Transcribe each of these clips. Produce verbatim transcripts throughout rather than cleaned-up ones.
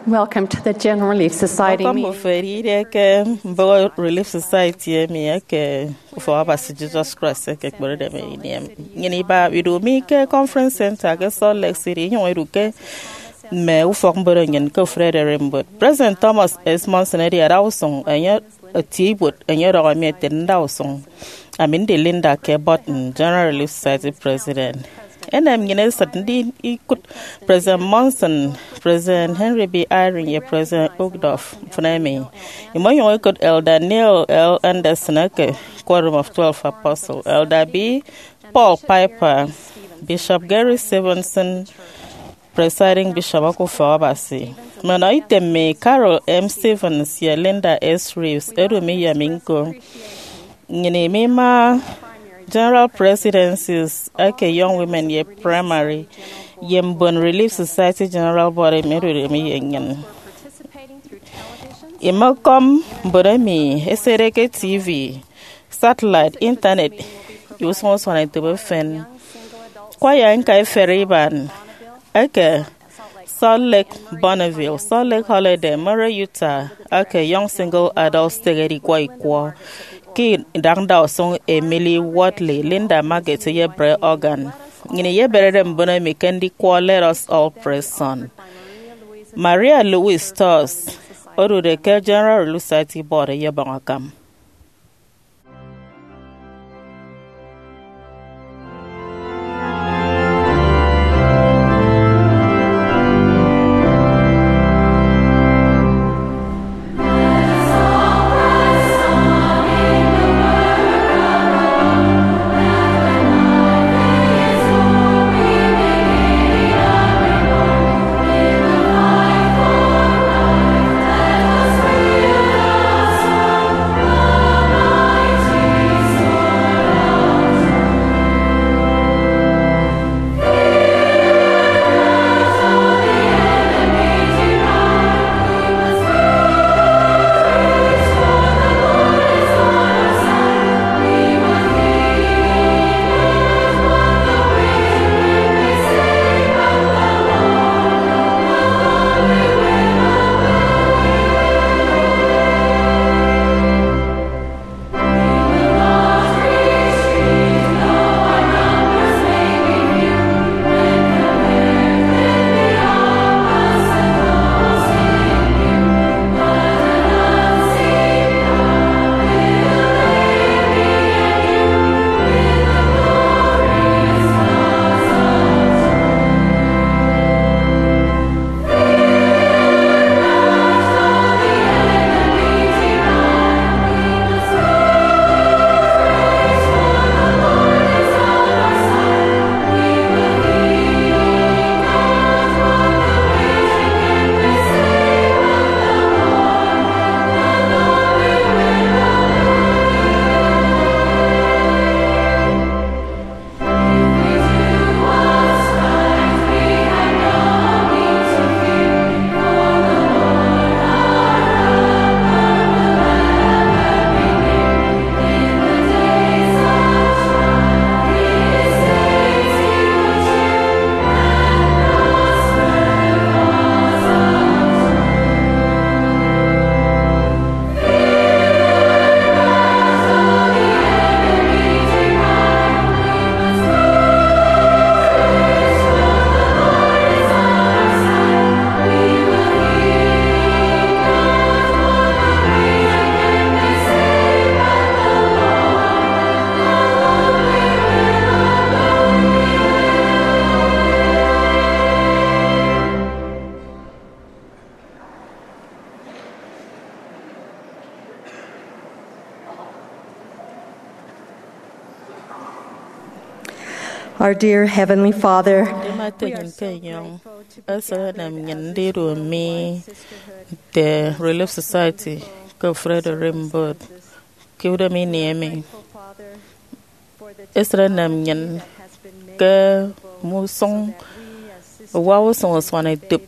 Welcome to the General Relief Society Ọkọm meeting. Ofe eride ke mbụk Relief Society emi eke Ufọk Abasi Jesus Christ eke ekperede emi ini em. Nnyịn iba idu mi ke Conference Center ke Salt Lake City, inyụñ idu ke mme ufọk mbono nnyịn ke ofụri ererimbot. President Thomas S. Monson edi ada usụñ enye etie ibuot, enye ọdọhọ mi ete, nda usụñ. Ami ndi Linda K. Burton, General Relief Society President. Enem nnyịn esịt ndi ikụt President Monson, President Henry B. Eyring, ye President Uchtdorf mfịn emi. Imọnyụñ ikụt Elder Neil L. Andersen eke Quorum of Twelve Apostles, Elder B. Paul Piper, Bishop Gary Stevenson, Presiding Bishop eke Ufọk Abasi. Mme ọnọ item mi, Carol M. Stevens ye Linda S. Reeves, edu mi ye mi ñko. Nnyịn imima General Presidencies eke Young Women ye Primary, ye mbon Relief Society General Body emi edude mi ye nnyịn. Imekọm mbon emi ẹsede ke T V, satellite, internet, ye usụñ usuanetop efen. Kwaya ñka iferi iban eke Salt Lake Bonneville, Salt Lake Holladay, Murray, Utah, eke Young Single Adults Stake edikwọ ikwọ ke idak ndausụñ Emily Wortley, Linda Marget, ye Brett Organ. Nnyịn iyeberede mbon emi ke ndikwọ Let Us All Pray Son. Maria Louise Storrs odude ke General Relief Society Board eyebọñ akam. Our dear Heavenly Father, Ete nnyịn ke enyọñ, esịt enem nnyịn ndidu mme nte Relief Society ke ofụri ererimbot ke udịm ini emi. Esịt enem nnyịn ke mme usụñ uwa usụñ usuanetop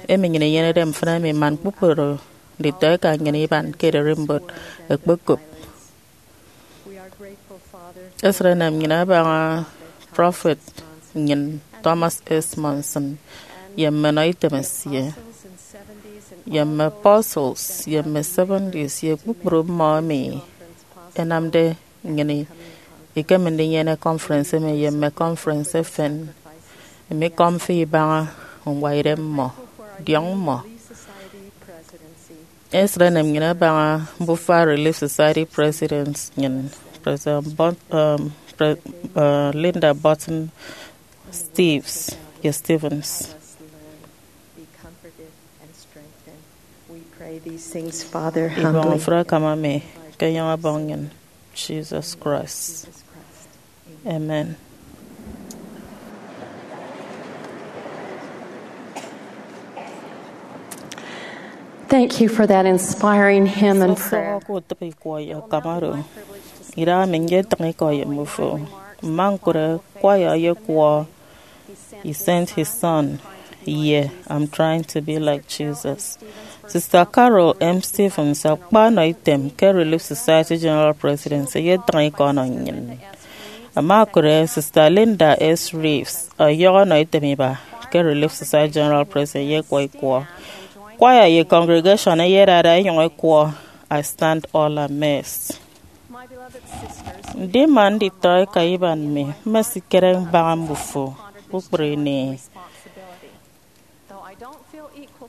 emi nnyịn inyenede mfịna emi man kpukpru nditọeka nnyịn iban ke ererimbot ẹkpekop. Esịt enem nnyịn abaña prọfet nnyịn Thomas S. Monson ye mme ọnọ item esie. ye mme apostles, ye mme seventies, ye kpukpru mmọ emi ẹnamde nnyịn ikeme ndinyene conference emi ye mme conference efen. Emi ikọm fi ibaña ñwaidem mmọ, diọñ mmọ. Esịt enem nnyịn abaña mbufa Relief Society President nnyịn, President Bun- um, Pre- uh, Linda Burton Steves ye Stevens. Ibọñ mfre akam ami ke enyọñ Ọbọñ nnyịn, Jesus Christ. Amen. Thank you for that inspiring hymn and prayer. Sọsọñọ ke utịp ikwọ ye akam oro. Idaha mi nyetịñ ikọ ye mbufo. Mma ñkụre kwaya ye kwọ He Sent His Son ye I'm Trying to Be Like Jesus. Sister Carol M. Stevens akpanọ item ke Relief Society General Presidency eyetịñ ikọ ọnọ nnyịn. Ama okụre Sister Linda S. Reeves ọyọhọ ọnọ item iba ke Relief Society General President ye ekwọ ikwọ. Kwaya ye congregation eyedada ẹnyụñ ẹkwọ I Stand All Amazed. Ndima nditọ eka iban mi, mmesikere mbaña mbufo kpukpru ini.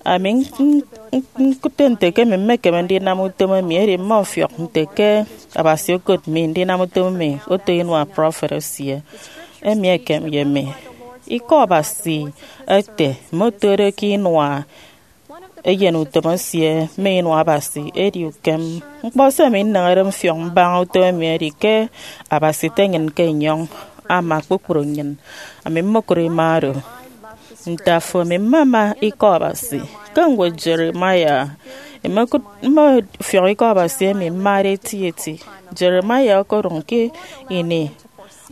Ami ñkụt nte ke emi mmekeme ndinam utom emi, edi mmọfiọk nte ke Abasi okot mi ndinam utom emi oto inua prọfet esie. Emi ekem ye mi. Ikọ Abasi ete mme otode ke inua eyen utom esie mme inua Abasi edi ukem. Ñkpọ se ami nneñede mfiọk mbaña utom emi edi ke Abasi ete nnyịn ke enyọñ ama kpukpru nnyịn. Ami mmokụt ima oro. Nte afo, ami mmama ikọ Abasi. Ke ñwed Jeremiah, imokụt mmọfiọk ikọ Abasi emi mmade etieti. Jeremiah okodụñ ke ini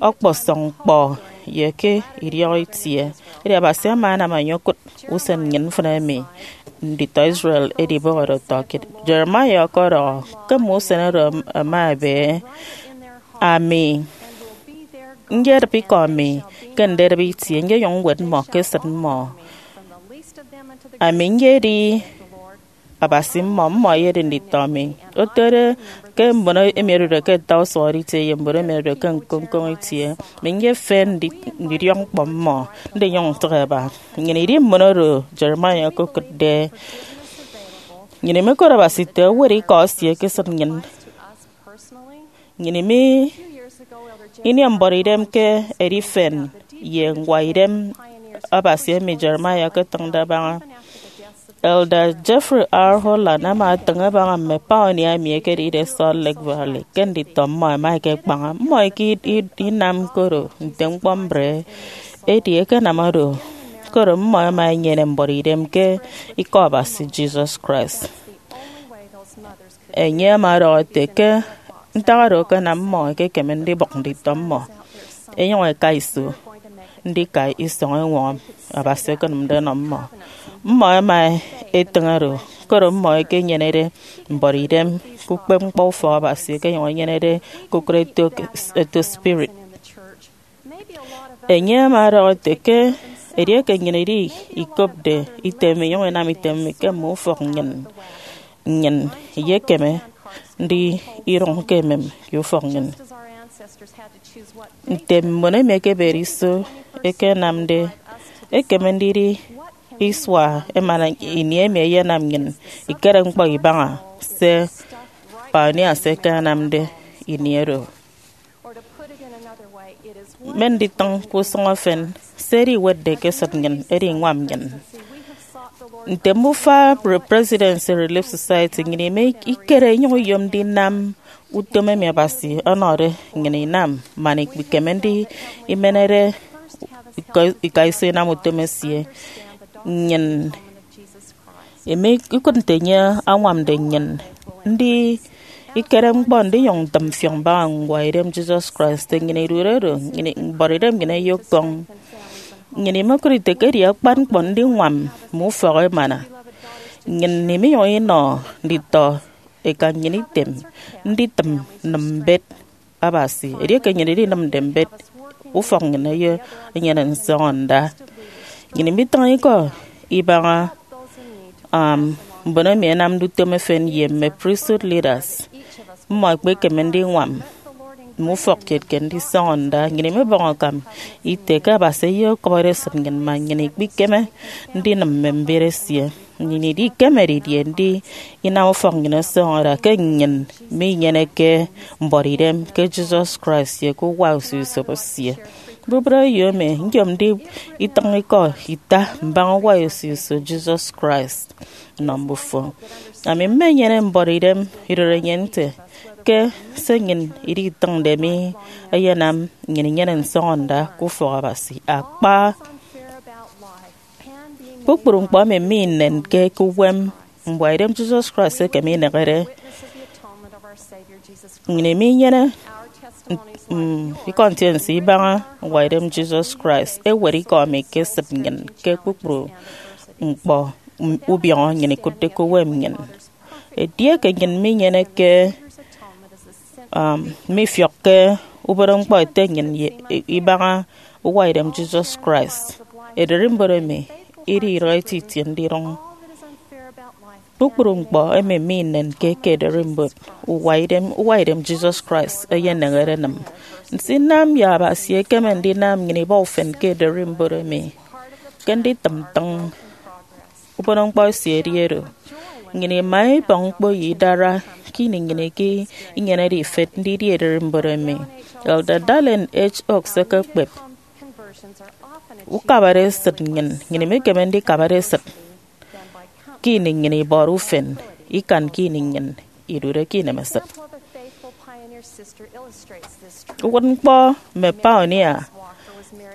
ọkpọsọñ ñkpọ ye ke idiọk itie. Edi Abasi ama anam enye okụt usen nnyịn mfịn emi nditọ Israel ẹdibọhọde ọtọkiet. Jeremiah ọkọdọhọ ke mme usen oro ẹma ẹbe, ami nyedịp ikọ mi ke ndedịp itie, nyeyụñ ñwet mmọ ke esịt mmọ. Ami nyedi Abasi mmọ, mmọ ẹyedi nditọ mi. Otode ke mbon emi ẹdude ke ata usụhọde itie ye mbon emi ẹdude ke ñkoññkoñ itie, mi nyefen ndi- ndidiọk ñkpọ mmọ, ndinyụñ ntịk ẹba. Nnyịn idi mbon oro Jeremiah okokụtde. Nnyịn imekot Abasi ete owot ikọ esie ke esịt nnyịn. Nnyịn imi ini mbọrọ idem ke edifen ye ñwaidem Abasi emi Jeremiah okotịñde abaña. Elder Jeffrey R. Holland ama atịñ abaña mme pioneer emi ẹkedide Salt Lake Valley ke nditọ mmọ ẹma ẹkekpaña. Mmọ eke i- i- inam koro nte ñkpọ mbre, edi ẹkenam oro, koro mmọ ẹma ẹnyene mbọrọ idem ke Ikọ Abasi Jesus Christ. Enye ama ọdọhọ ete ke ntak oro akanam mmọ ẹkekeme ndibụk nditọ mmọ ẹnyụñ ẹka iso ndika isọñ eñwọñọ Abasi okonịmde ọnọ mmọ. Mmọ ẹma ẹtịñ oro, koro mmọ ẹkenyenede mbọrọ idem ke ukpepñkpọ ufọk Abasi ẹkenyụñ ẹnyenede ke ukụt eto, eto spirit. Enye ama ọdọhọ ete ke edieke nnyịn idi ikopde item mi inyụñ inam item mi ke mme ufọk nnyịn, nnyịn iyekeme ndidụñ ke emem ye ufọk nnyịn. Nte mbon emi ẹkebede iso ẹkenamde, ekeme ndidi isua emana ini emi ẹyenam nnyịn ikere ñkpọ ibaña se pioneers ẹkenamde ini oro. Mme nditịñ ke usụñ efen, se ediwetde ke esịt nnyịn edi iñwam nnyịn. Nte mbufa Pre- Presidency Relief Society, nnyịn ime ikere inyụñ iyom ndinam utom emi Abasi ọnọde nnyịn inam, man ikpikeme ndi imenede ika- ika iso inam utom esie. Nnyịn emi ikụt nte enye añwamde nnyịn ndi ikere ñkpọ ndinyụñ ntịm mfiọk mbaña ñwaidem Jesus Christ. Nnyịn idude do, nnyịn mbọrọidem nnyịn eyekọñ. Nnyịn imokụt ite ke edi akpan ñkpọ ndiñwam mme ufọk emana. Nnyịn iminyụñ inọ nditọ eka nnyịn item nditịm nnịm mbet Abasi. Edieke nnyịn idinịmde mbet, ufọk nnyịn eyenyene nsọñọnda. Nnyịn imitịñ ikọ ibaña um, mbon emi ẹnamde utom efen ye mme priesthood leaders, mmọ ẹkpekeme ndiñwam mme ufọk kiet ke ndisọñọ nda. Nnyịn imibọñ akam ite ke Abasi eyekọbọre esịt nnyịn man nnyịn ikpikeme ndinịm mme mbiet esie. Nnyịn idikeme didie ndinam ufọk nnyịn ọsọñọ ada ke nnyịn minyeneke mbuọtidem ke Jesus Christ ye ke uwa usio-usop esie? Mbubịt eyo emi nyomde itịñ ikọ ita mbaña uwa usio-usop Jesus Christ nnọ mbufo. Ami mmenyene mbuọtidem idorenyin nte ke se nnyịn iditịñde mi eyenam nnyịn inyene nsọñọnda ke ufọk Abasi. Akpa, kpukpru ñkpọ emi minenke ke uwem mbuọtidem Jesus Christ eke minehede. Nnyịn iminyene, mm, ikọ ntiense ibaña mbuọtidem Jesus Christ. Ewet ikọ emi ke esịt nnyịn ke kpukpru ñkpọ, mm, ubiọñọ nnyịn ikụtde ke uwem nnyịn. Edieke nnyịn minyeneke, um, mifiọkke ubon ñkpọ ete nnyịn ye, ibaña uwaidem Jesus Christ, ererimbot emi idi idịghe eti itie ndidụñ. Kpukpru ñkpọ emi minenke ke ererimbot uwaidem, uwaidem Jesus Christ eyenehede enịm. Nsinam ye Abasi ekeme ndinam nnyịn ibọ ufen ke ererimbot emi. Ke nditịm ntịñ, ubon ñkpọ esie edi oro. Nnyịn ima ibọñ ñkpo ye idara ke ini nnyịn eke inyenede ifet ndidi ererimbot emi. Elder Dallin H. Oaks ekekpep, ukabare esịt nnyịn, nnyịn imekeme ndikabare esịt ke ini nnyịn ibọde ufen ikan ke ini nnyịn idude ke inemesịt. Uwụtñkpọ mme pioneer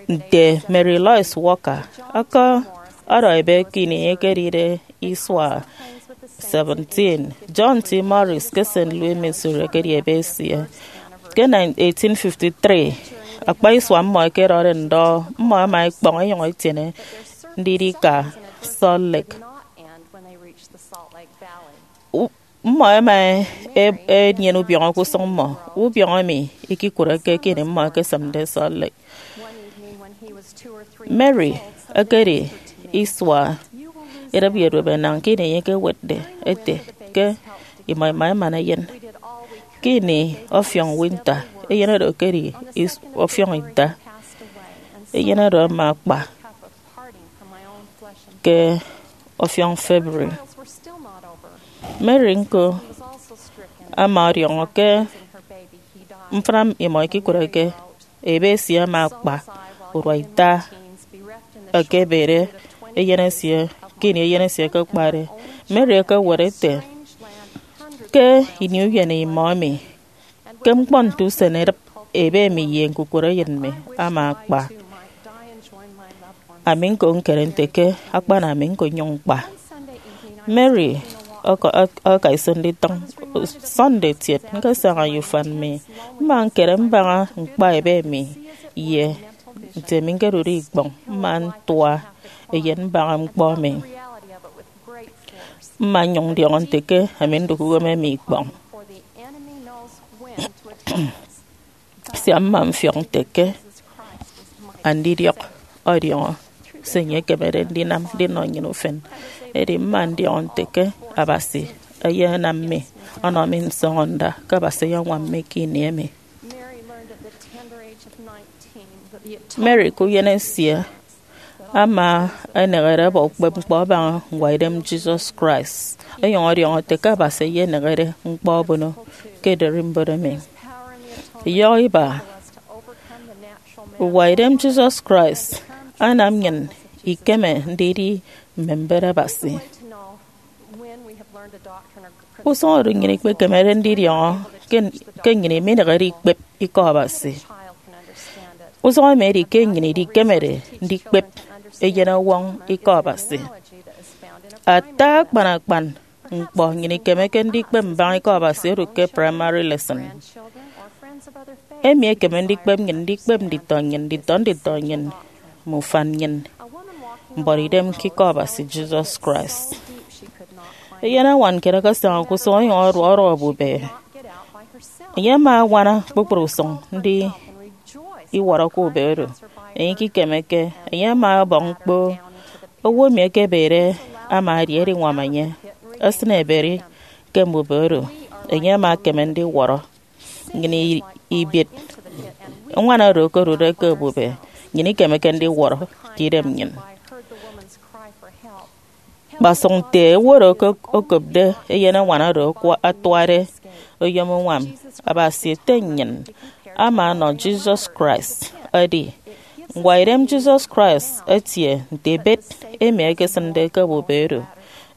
nte Mary Lois Walker ọkọdọ ebe ke ini enye ekedide isua seventeen, John T. Morris ke Saint Louis, Missouri ekedi ebe esie. Ke eighteen fifty-three, akpa isua mmọ ẹkedọde ndọ, mmọ ẹma ẹkpọñ ẹnyụñ ẹtiene ndidi ika Salt Lake. U-, mmọ ẹma e-, enyene ubiọñọ ke usụñ mmọ, ubiọñọ emi ikikụreke ke ini mmọ ẹkesịmde Salt Lake. Mary ekedi isua edịp ye duop enañ ke ini enye ekewetde ete ke imọ ima emana eyen. Ke ini ọfiọñ winter, eyen oro ekedi is-, ọfiọñ ita. Eyen oro ama akpa ke ọfiọñ February. Mary ñko ama ọdiọñọ ke mfịna imọ ikikụreke. Ebe esie ama akpa urua ita, ekebere eyen esie ke ini eyen esie ekekpade. Mary ekewet ete, ke ini uyen imọ emi, ke ñkpọ nte usen edịp, ebe emi ye ñkukụre eyen mi ama akpa. Ami ñko ñkere nte ke akpana ami ñko nnyụñ ñkpa. Mary ọkọ-, ọk-, ọka iso nditịñ. Sunday etiet, ñkesaña ye ufan mi. Mma ñkere mbaña ñkpa ebe mi, ye nte mi ñkedude ikpọñ, mma ntua eyen mbaña ñkpọ mi. Mma nnyụñ ndiọñọ nte ke ami ndụk uwem emi ikpọñ. Sia mma mfiọk nte ke andidiọk ọdiọñọ se enye ekemede ndinam ndinọ nnyịn ufen. Edi mma ndiọñọ nte ke Abasi eyenam mi, ọnọ mi nsọñọnda, ke Abasi eyeñwam mi ke ini emi. Mary ke uyen esie ama enehede aba ukpep ñkpọ abaña ñwaidem Jesus Christ, onyụñ ọdiọñọ ete ke Abasi eyenehede ñkpọ abono ke ererimbot emi. Iyọhọ iba, uwaidem Jesus Christ anam nnyịn ikeme ndidi mme mbet Abasi. Usụñ oro nnyịn ikpekemede ndidiọñọ ke, ke nnyịn iminehede ikpep ikọ Abasi. Usụñ emi edi ke nnyịn idikemede ndikpep eyenọwọñ ikọ Abasi. Ata akpan akpan ñkpọ nnyịn ikemeke ndikpep mbaña ikọ Abasi odụk ke primary lesson. Emi ekeme ndikpep nnyịn ndikpep nditọ nnyịn, nditọ nditọ nnyịn, mme ufan nnyịn, mbuọtidem ke ikọ Abasi Jesus Christ. Eyen añwan kiet akasaña ke usụñ onyụñ ọduọ ọduọ obube. Enye ama añwana kpukpru usụñ ndi iwọrọ ke ube oro. Enye ikikemeke, enye ama ọbọñ ñkpo. Owo emi ekebede ama edi ediñwam enye. esịne eberi ke mbuba oro, enye ama ekeme ndiwọrọ nnyịn i- ibet. Ñwan oro okodude ke ebube, nnyịn ikemeke ndiwọrọ ke idem nnyịn. Kpasụk nte owo oro okop- okopde eyen ñwan oro akwa- atuade oyom uñwam, Abasi Ete nnyịn ama ọnọ Jesus Christ. Edi, ñkpọidem Jesus Christ etie nte ebet emi ẹkesịnde ke ebube oro.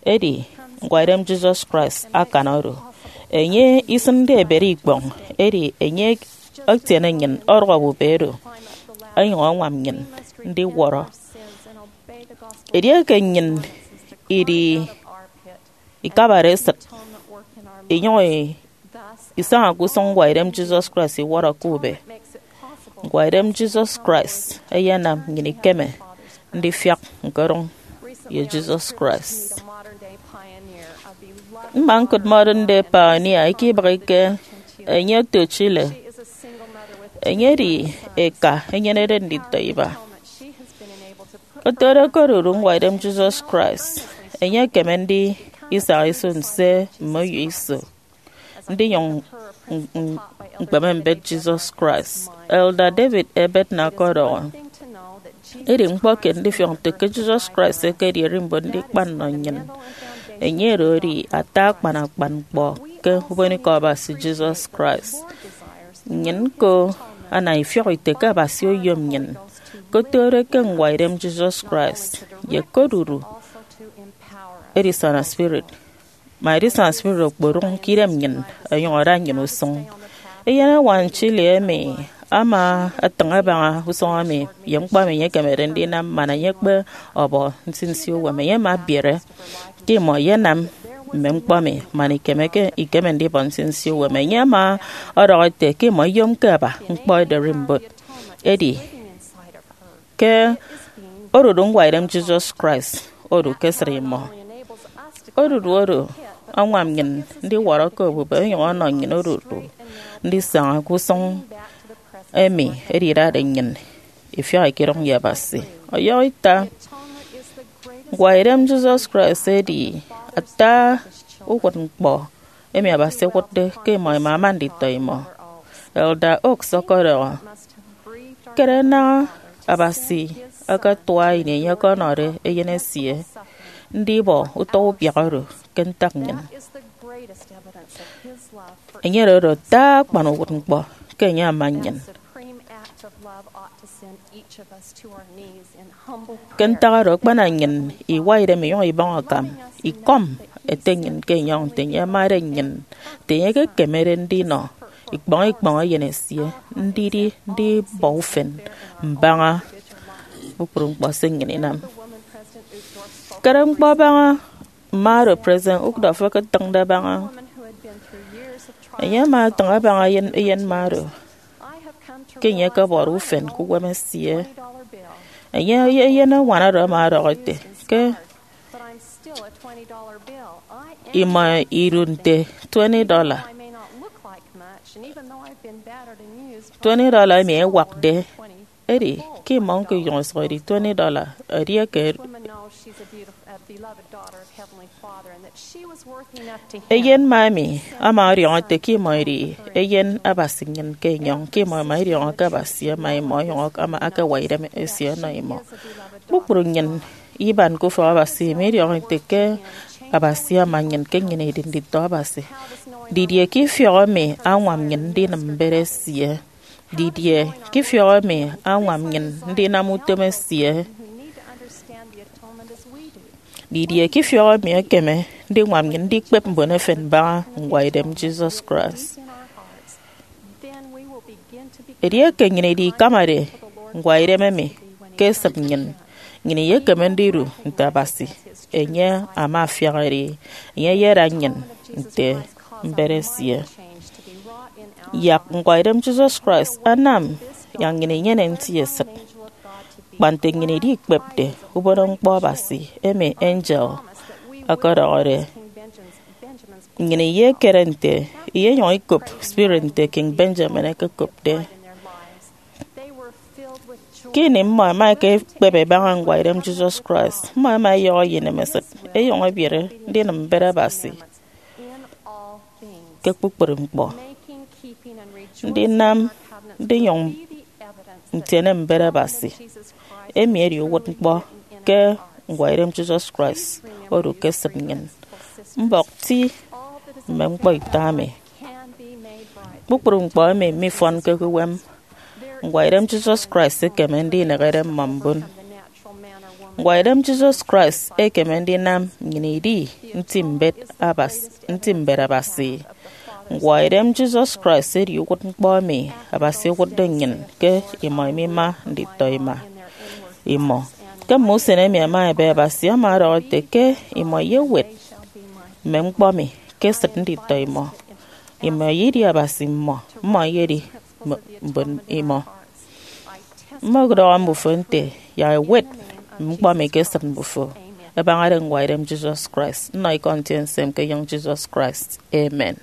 Edi, ñkpọidem Jesus Christ akan oro. Enye isịnde ebet ikpọñ, edi enye etiene nnyịn ọdọk ebube oro, onyụñ añwam nnyịn ndiwọrọ. Edieke nnyịn idi ikabade esịt, inyụñ isaña ke usụñ ñkpọidem Jesus Christ iwọrọ ke ube. Ñkpọidem Jesus Christ eyenam nnyịn ikeme ndifiak ñkodụñ ye Jesus Christ. Mma ñkụt Modern Day Pioneer eke ibịghike enye oto Chile. Enye edi eka enyenede nditọ iba. Otode okodudu ñkpọidem Jesus Christ, enye ekeme ndisaña iso nse mme uyo iso ndinyụñ ñkpeme mbet Jesus Christ. Elder David A. Bednar ọkọdọhọ, edi ñkpọ kiet ndifiọk nte ke Jesus Christ ekedi ererimbot ndikpa nnọ nnyịn. Enye oro edi ata akpan akpan ñkpọ ke ubonikọ Abasi Jesus Christ. Nnyịn ñko ana ifiọk ite ke Abasi oyom nnyịn, ke otode ke ñkpọidem Jesus Christ, ye ke odudu edisana spirit. Ma edisana spirit okpodụñ ke idem nnyịn, onyụñ ada nnyịn usụñ. Eyen eñwan Chile emi ama etịñ abaña usụñ emi ye ñkpọ emi enye ekemede ndinam man enye ekpe ọbọ nsinsi uwem. Enye ama ebiere ke imọ iyenam mme ñkpọ emi man ikemeke ikeme ndibọ nsinsi uwem. Enye ama ọdọhọ ete ke imọ iyomke aba ñkpọ ederimbot. Edi, ke odudu ñkpọidem Jesus Christ odu ke esịt imọ. Odudu oro añwam nnyịn ndiwọrọ ke ebube, onyụñ ọnọ nnyịn odudu ndisaña ke usụñ emi edidade nnyịn ifiak ikidụñ ye Abasi. Ọyọhọ ita, ñkpọidem Jesus Christ edi ata uwụtñkpọ emi Abasi owụtde ke imọ imama nditọ imọ. Elder Oaks ọkọdọhọ, kere naña Abasi akatua ini enye ọkọnọde Eyen esie ndibọ utọ ubiak oro ke ntak nnyịn. Enye oro ata akpan uwụtñkpọ ke enye ama nnyịn. Ke ntak oro, akpana nnyịn iwa idem inyụñ ibọñ akam, ikọm Ete nnyịn ke enyọñ nte enye amade nnyịn, nte enye ekekemede ndinọ ikpọñ ikpọñ Eyen esie, ndidi ndibọ ufen mbaña kpukpru ñkpọ se nnyịn inam. Kere ñkpọ abaña mma oro President Uchtdorf eketịñde abaña. Enye ama etịñ abaña eyen, eyen mma oro ke enye ekebọde ufen ke uwem esie. Enye, eyen eñwan oro ama ọdọhọ ete ke imọ idu nte twenty dollar. Twenty dollar emi ewakde, edi ke imọ ñko inyụñ isụhọde twenty dollar. Edieke eyen mma emi ama ọdiọñọ ete ke imọ edi eyen Abasi nnyịn ke enyọñ, ke imọ ima idiọñọ ke Abasi ama imọ, onyụñ ama akewa idem esie ọnọ imọ. Kpukpru nnyịn iban ke ufọk Abasi ima idiọñọ ete ke Abasi ama nnyịn, ke nnyịn idi nditọ Abasi. Didie ke ifiọk emi añwam nnyịn ndinịm mbet esie? Didie ke ifiọk emi añwam nnyịn ndinam utom esie? Didie ke ifiọk emi ekeme ndiñwam nnyịn ndikpep mbon efen mbaña ñkpọidem Jesus Christ? Edieke nnyịn idikamade ñkpọidem emi ke esịt nnyịn, nnyịn iyekeme ndidu nte Abasi. Enye ama afiak edi, enye eyeda nnyịn nte mbet esie. Yak ñkpọidem Jesus Christ anam yak nnyịn inyene nti esịt. Kpa nte nnyịn idikpepde ubonoñkpọ Abasi emi angel ọkọdọhọde, nnyịn iyekere nte iyenyụñ ikop spirit nte King Benjamin ekekopde. Ke ini mmọ ẹma ẹkekpep ẹbaña ñkpọidem Jesus Christ, mmọ ẹma ẹyọhọ ye inemesịt, ẹyọñọ ẹbiere ndinịm mbet Abasi ke kpukpru ñkpọ. Ndinam ndinyụñ ntiene mbet Abasi, emi edi uwụtñkpọ ke ñkpọidem Jesus Christ odu ke esịt nnyịn. Mbọk ti mme ñkpọ ita emi. Kpukpru ñkpọ emi mifọnke ke uwem. Ñkpọidem Jesus Christ ekeme ndinehede mmọ mbon. Ñkpọidem Jesus Christ ekeme ndinam nnyịn idi nti mbet Abas-, nti mbet Abasi. Ñkpọidem Jesus Christ edi uwụtñkpọ emi Abasi owụtde nnyịn ke imọ imima nditọ ima imọ. Ke mme usen emi ẹma ẹbe, Abasi ama ọdọhọ ete ke imọ iyewet mme ñkpọ mi ke esịt nditọ imọ. Imọ iyedi Abasi mmọ, mmọ iyedi m-, mbon imọ. Mmọkudọhọ mbufo nte, yak ẹwet mme ñkpọ mi ke esịt mbufo, ẹbañade ñkpọidem Jesus Christ. Nnọ ikọ ntiense mi ke enyịñ Jesus Christ. Amen.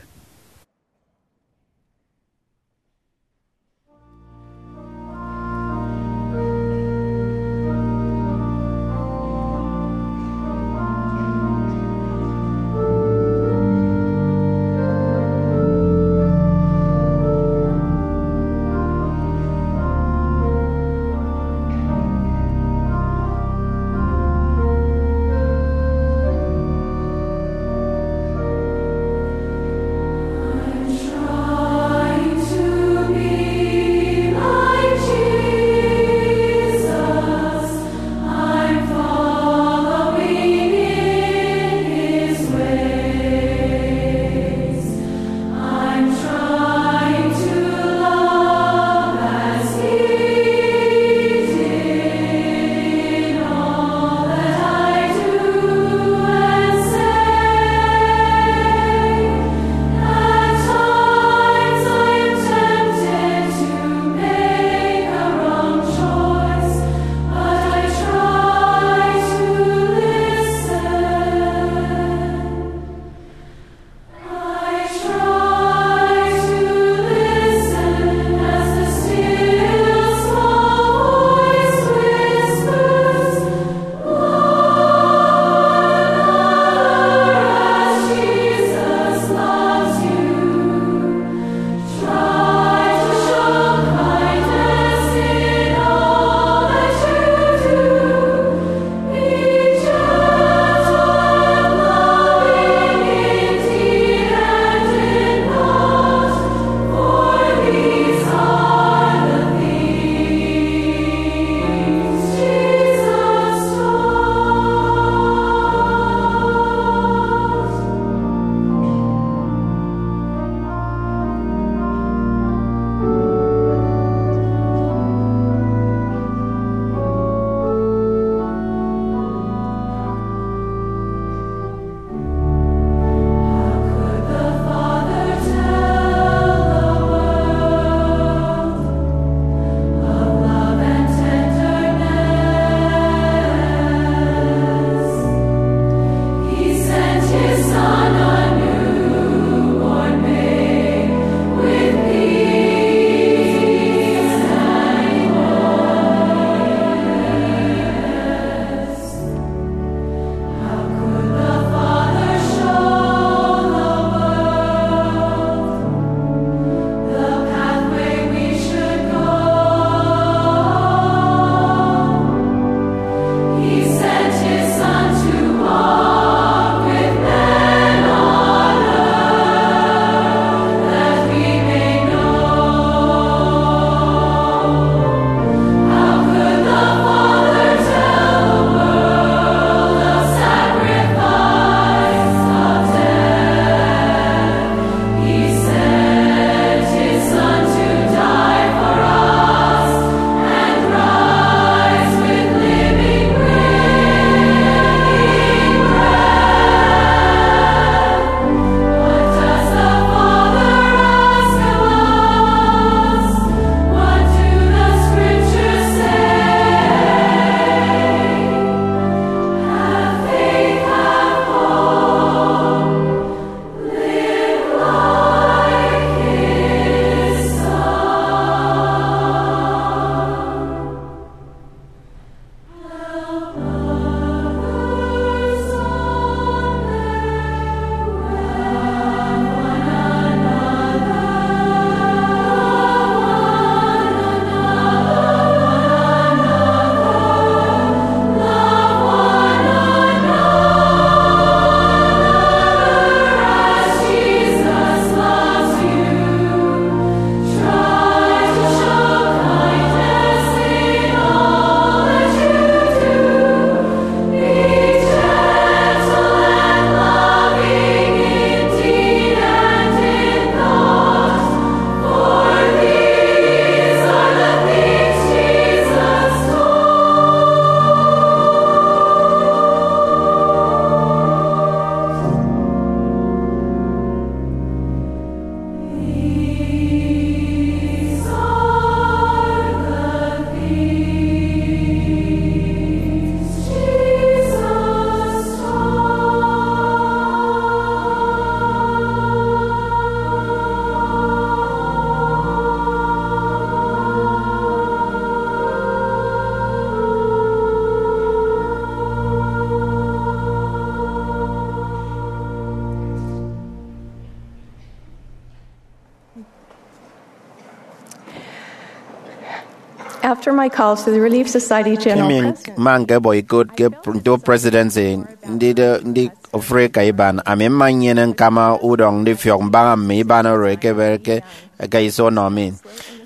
After my calls to the Relief Society General President, mma ñkebọ ikot ke pr- nto presidency ndide ndi ofụri eka iban, ami mma nnyene ñkama udọñ ndifiọk mbaña mme iban oro ẹkebere ke ẹka iso ọnọ mi.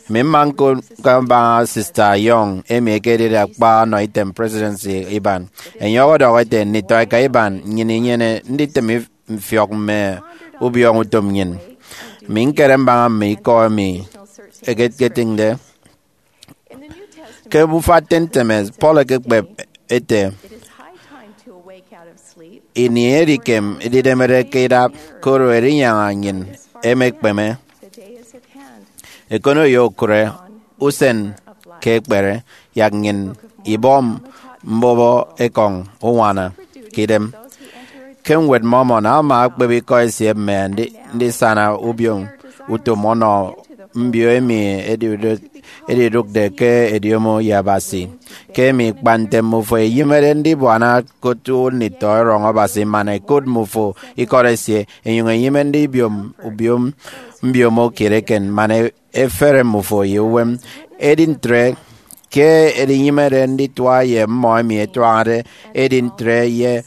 Ami mma ñkot ñkọ mbaña Sister Young, emi ekedide akpa ọnọ item presidency iban. Enye ọdọhọ ete, nditọ eka iban, nnyịn inyene nditịm if- mfiọk mme ubiọñọ utom nnyịn. Ami ñkere mbaña mme ikọ emi ẹketịñde. Ke Obufa Ten Temes, Paul ekekpep ete, ini edikem ididemede ke idap, koro erinyaña nnyịn emekpeme. Ekono ye okụre usen ke ekpere, yak nnyịn ibọ mbobo ekọñ uñwana ke idem. Ke Ñwed Mormon, Alma akpep ikọ esie mme andi- ndisana ubiom utom ọnọ mbio emi edidụk- edidụkde ke ediomo ye Abasi. Ke emi kpa nte mmufo eyịmede ndibuana ke otu nditọ erọñ Abasi man ẹkot mmufo ikọt esie, enyụñ enyịme ndibiom ubiom mbiomo kiet eken man e- efere mmufo ye uwem. Edi ntre, ke edinyịmede nditua ye mmọ emi ẹtuañade, edi ntre ye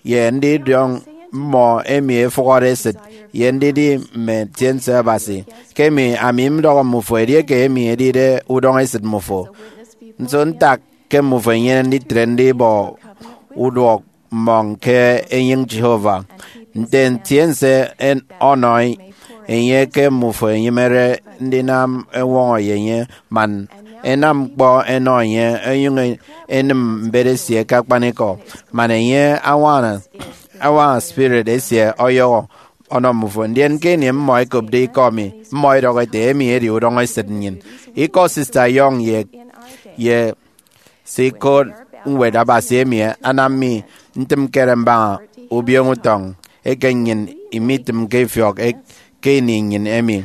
ye ndidiọñ mmọ emi efụhọde esịt, ye ndidi mme ntiense Abasi. Ke emi ami mdọhọ mmufo, edieke emi edide udọñ esịt mmufo, nso ntak ke mmufo enyene nditre ndibọ uduọk mmọñ ke enyịñ Jehovah? Nte ntiense en- ọnọ enye ke mmufo enyịmede ndinam eñwọñọ ye enye, man enam ñkpọ enọ enye, onyụñ enịm mbet esie ke akpanikọ, man enye añwaña añwaña spirit esie ọyọhọ ọnọ mmufo. Ndien ke ini mmọ ẹkopde ikọ mi, mmọ ẹdọhọ ẹte, emi edi udọñ esịt nnyịn. Ikọ Sister Young ye ye se ikot Ñwed Abasi emi anam mi ntịm ñkere mbaña ubiom utọñ eke nnyịn imitịmke ifiọk e- ke ini nnyịn emi.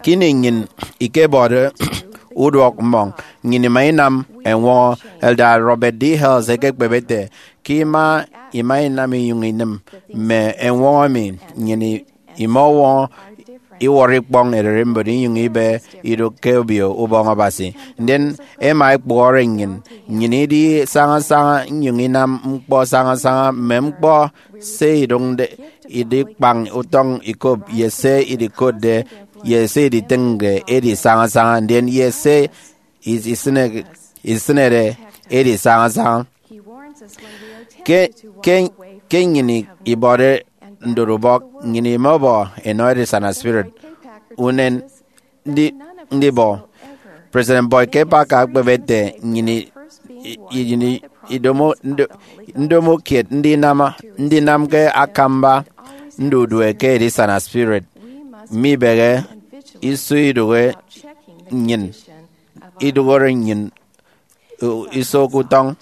Ke ini nnyịn ikebọde uduọk mmọñ, nnyịn ima inam eñwọñọ. Elder Robert D. Hales ekekpep ete, ke ima ima inam inyụñ inịm mme eñwọñọ emi, nnyịn i- imọwọñọ iwọrọ ikpọñ ererimbot inyụñ ibe idụk ke Obio Ubọñ Abasi. Ndien ẹma ẹkpụhọre nnyịn, nnyịn idi sañasaña inyụñ inam ñkpọ sañasaña, mme ñkpọ se idụñde idikpañ utọñ ikop, ye se idikotde, ye se iditịñde edi sañasaña, ndien ye se is- isịne- isịnede edi sañasaña. Ke, ke, ke nnyịn ibọde ndorubọk, nnyịn imọbọ enọ edisana spirit unen ndi- ndibọ. President Boyd K. Packer akpep ete, nnyịn i- i- i- idomo ndo- ndomo kiet ndinam ndinam ke akamba ndudue ke edisana spirit. Mibehe iso idụhe nnyịn, idụhọre nnyịn iso ke utọñ.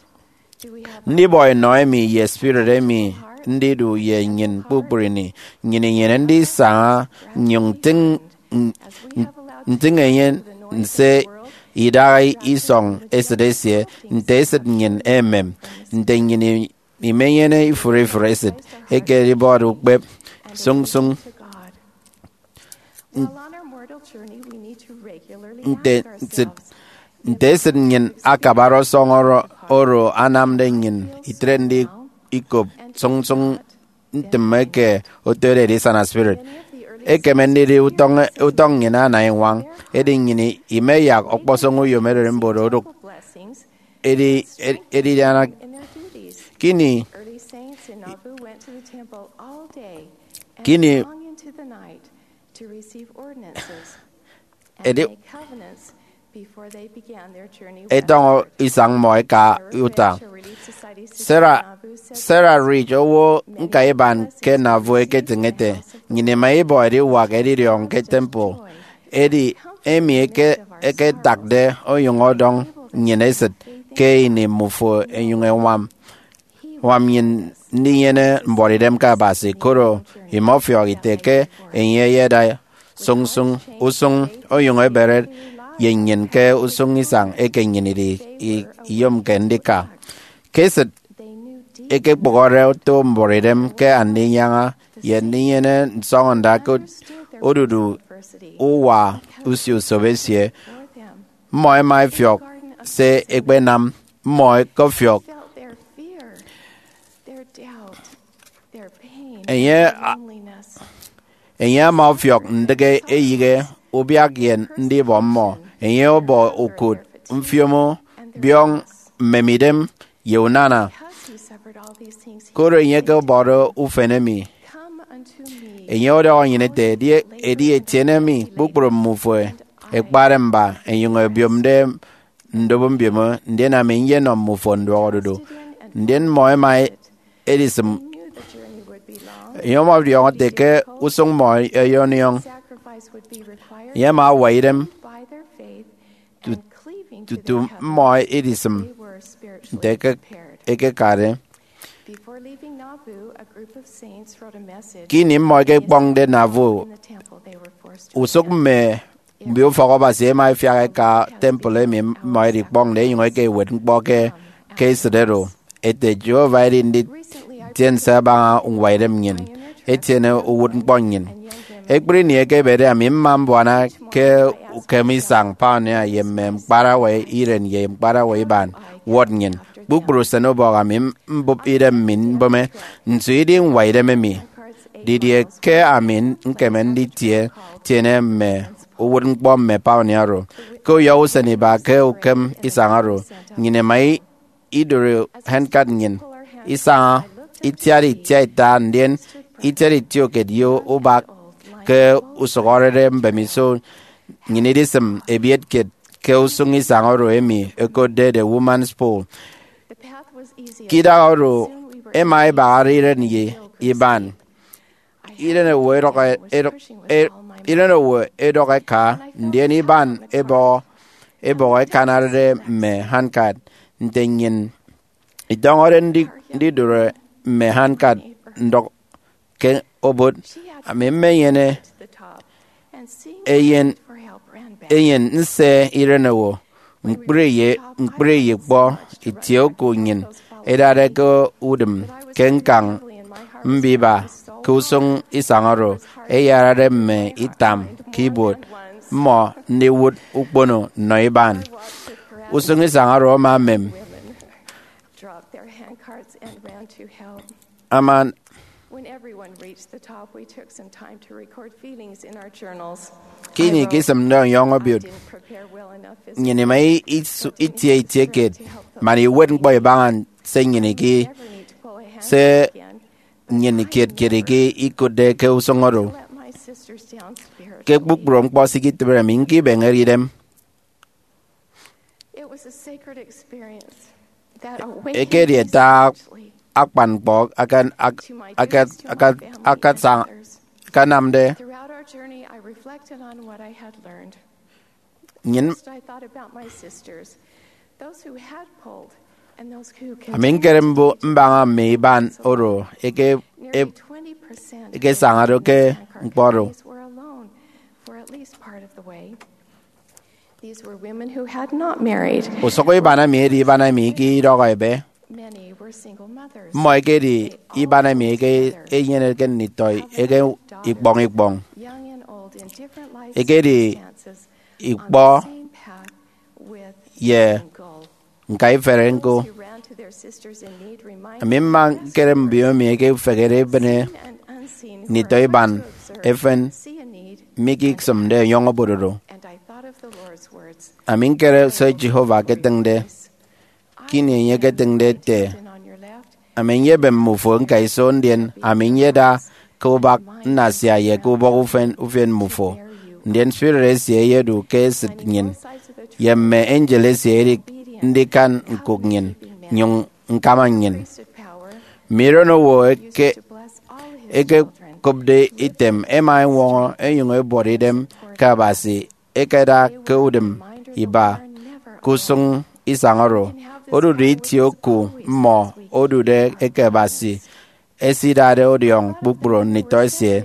Ndibọ enọ emi ye spirit emi ndidu ye nnyịn kpukpru ini. Nnyịn inyene ndisaña nnyụñ ntịñ, ntịñ enye nse idaha isọñ esịt esie, nte esịt nnyịn emem, nte nnyịn imenyene ifụre ifụre esịt eke edibọde ukpep sụñsụñ. Nte nsit nte esịt nnyịn akabare ọsọñ oro, oro anamde nnyịn itre ndi ikop sụñsụñ ntịm eke otode edisana spirit. Ekeme ndidi utọñ, utọñ nnyịn ana iñwañ, edi nnyịn imeyak ọkpọsọñ uyom ererimbot odụk edi, edi, edidiana kini, kini edi, etọñọ isañ mmọ ẹka uta. Sarah, Sarah Rich, owo ñkaiban ke Nauvoo, eketịñ ete, nnyịn ima ibọ ediwak edidiọñ ke temple, edi emi eke, eketakde onyụñ ọdọñ nnyịn esịt ke ini mmufo ẹnyụñ ẹñwam, ñwam nnyịn ndinyene mbuọtidem ke Abasi, koro imọfiọk ite ke enye eyeda sụñsụñ usụñ onyụñ ebere ye nnyịn ke usụñ isañ eke nnyịn idi i- iyomke ndika. Ke esịt ekekpụhọde oto mbuọtidem ke andinyaña ye ndinyene nsọñọnda ke odudu uwa usio usop esie, mmọ ẹma ẹfiọk se ẹkpenam, mmọ ẹkọfiọk. Enye a- Enye ama ọfiọk ndịk eyịghe, ubiak ye ndibọ mmọ. Enye ọbọ ukụt, mfiomo, biọñ, mmemidem, ye unana. Koro enye ke ọbọde ufen emi, enye ọdọhọ nnyịn ete, edi, edi etiene mi kpukpru mmufo ẹkpade mba, ẹnyụñ ẹbiomde ndobo mbiomo, ndien ami nyenọ mmufo nduọkodudu. Ndien mmọ ẹma edisịm. Enye ọmọdiọñọ ete ke usụñ mmọ ẹyọniọñ. Enye ama awa idem tutu mmọ edisịm nte eke- ekekade. Ke ini mmọ ẹkekpọñde Nauvoo, usụk mme mbioufọk Abasi ẹma ẹfiak ẹka temple emi mmọ ẹdikpọñde, ẹnyụñ ẹka ẹwet ñkpọ ke, ke esịt oro, ete, Jehovah edi nditiense abaña uñwaidem nnyịn, etiene uwụtñkpọ nnyịn. Ekpri ini ekebede, ami mma mbuana ke ukem isañ pioneer ye mme ñkparawa iren ye ñkparawa iban. Wụt nnyịn. Kpukpru usenubọk ami mbụp idem mi mbịme, nso idi ñwaidem emi? Didie ke ami ñkeme nditie tiene mme uwụtñkpọ mme pioneer oro? Ke uyọhọ usen iba ke ukem isañ oro, nnyịn ima i- idụri handcart nnyịn, isaña, itiat itiaita, ndien itiat itiokiet ye ubak ke usụhọrede mbemiso. Nnyịn idisịm ebiet kiet ke usụñ isañ oro emi ẹkotde The Woman's Pole. Ke idaha oro, ẹma ẹbahare iren ye iban. Iren owo ẹdọk, ẹdọk, e- iren owo ẹdọk ẹka, ndien iban ẹbọhọ, ẹbọhọ ẹkanarede mme handcart. Nte nnyịn itọñọde ndi- ndidụri mme handcart ndọk ke obot, ami mmenyene eyen, eyen nse iren owo, ñkpri ye, ñkpri ye ikpọ itie oku nnyịn idade ke udịm ke ñkañ mbiba ke usụñ isañ oro, ẹyarade mme itam ke ibuot mmọ ndiwụt ukpono nnọ iban. Usụñ isañ oro ama emem. Ama When everyone reached the top, we took some time to record feelings in our journals. Ke ini ke isịmde ọyọhọ ebiet, nnyịn ima i- isu- itie itie kiet man iwet ñkpọ ibaña se nnyịn iki se nnyịn kiet kiet iki ikụtde ke usụñ oro. Ke kpukpru ñkpọ se iketịbede mi, ñkibeñede idem. Ekedi ata akpan ñkpọ akan- ak- akat- akat- akatsañ- akanamde. Nnyịn, ami ñkere mbo- mbaña mme iban oro eke- e- ekesañade ke ñkpọ oro. Usụk iban emi edi iban emi ike idọhọ ebe. Mmọ ekedi iban emi eke enyeneke nditọ eke ikpọñ ikpọñ. Ekedi ikpọ ye ñka ifere ñko. Ami mma ñkere mbio emi eke ufehede ebịne nditọ iban efen mi ke isịmde ọyọhọ ebiet oro. Ami ñkere se Jehovah eketịñde. Ke ini enye eketịñde ete, ami nyebem mmufo ñka iso, ndien ami nyeda ke ubak nnasia ye ke ubọk ufen ufien mmufo. Ndien spirit esie eyedu ke esịt nnyịn, ye mme angel esie edik ndikan ñkụk nnyịn, nyụñ ñkama nnyịn. Mme iren owo eke- ekekopde item ẹma ẹñwọñọ ẹnyụñ ẹbuọt idem ke Abasi ekeda ke udịm iba ke usụñ isañ oro. Odudu itie oku mmọ odude eke Abasi esidade ọdiọñ kpukpru nditọ esie,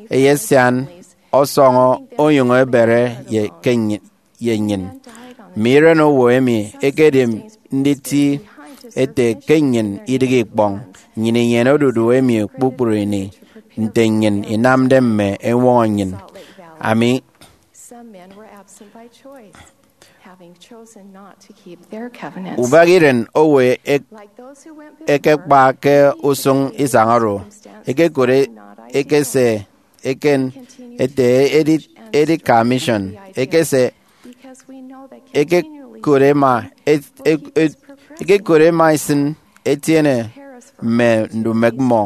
eyesian ọsọñọ onyụñ ebere ye ke nny- ye nnyịn. Mme iren owo emi ekedi nditi ete ke nnyịn idịghe ikpọñ. Nnyịn inyene odudu emi kpukpru ini nte nnyịn inamde mme ẹñwọñọ nnyịn. Ami Ubak iren owo ek- ekekpa ke usụñ isañ oro, ekekot e- ekese eken ete edi- edika mission, ekese ekekot ema et- e- e- ekekot ema isịn etiene mme ndumek mmọ,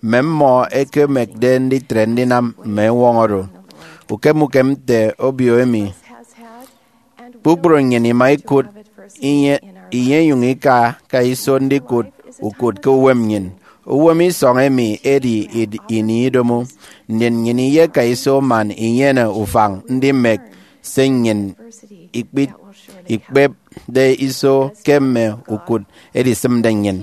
mme mmọ ẹkemekde nditre ndinam mme eñwọñọ oro. Ukem ukem nte obio emi, kpukpru nnyịn ima ikụt inye, inyenyụñ ika ka iso ndikụt ukụt ke uwem nnyịn. Uwem isọñ emi edi id- ini idomo, ndien nnyịn iyeka iso man inyene ufañ ndimek se nnyịn ikpit- ikpepde iso ke mme ukụt edisịmde nnyịn.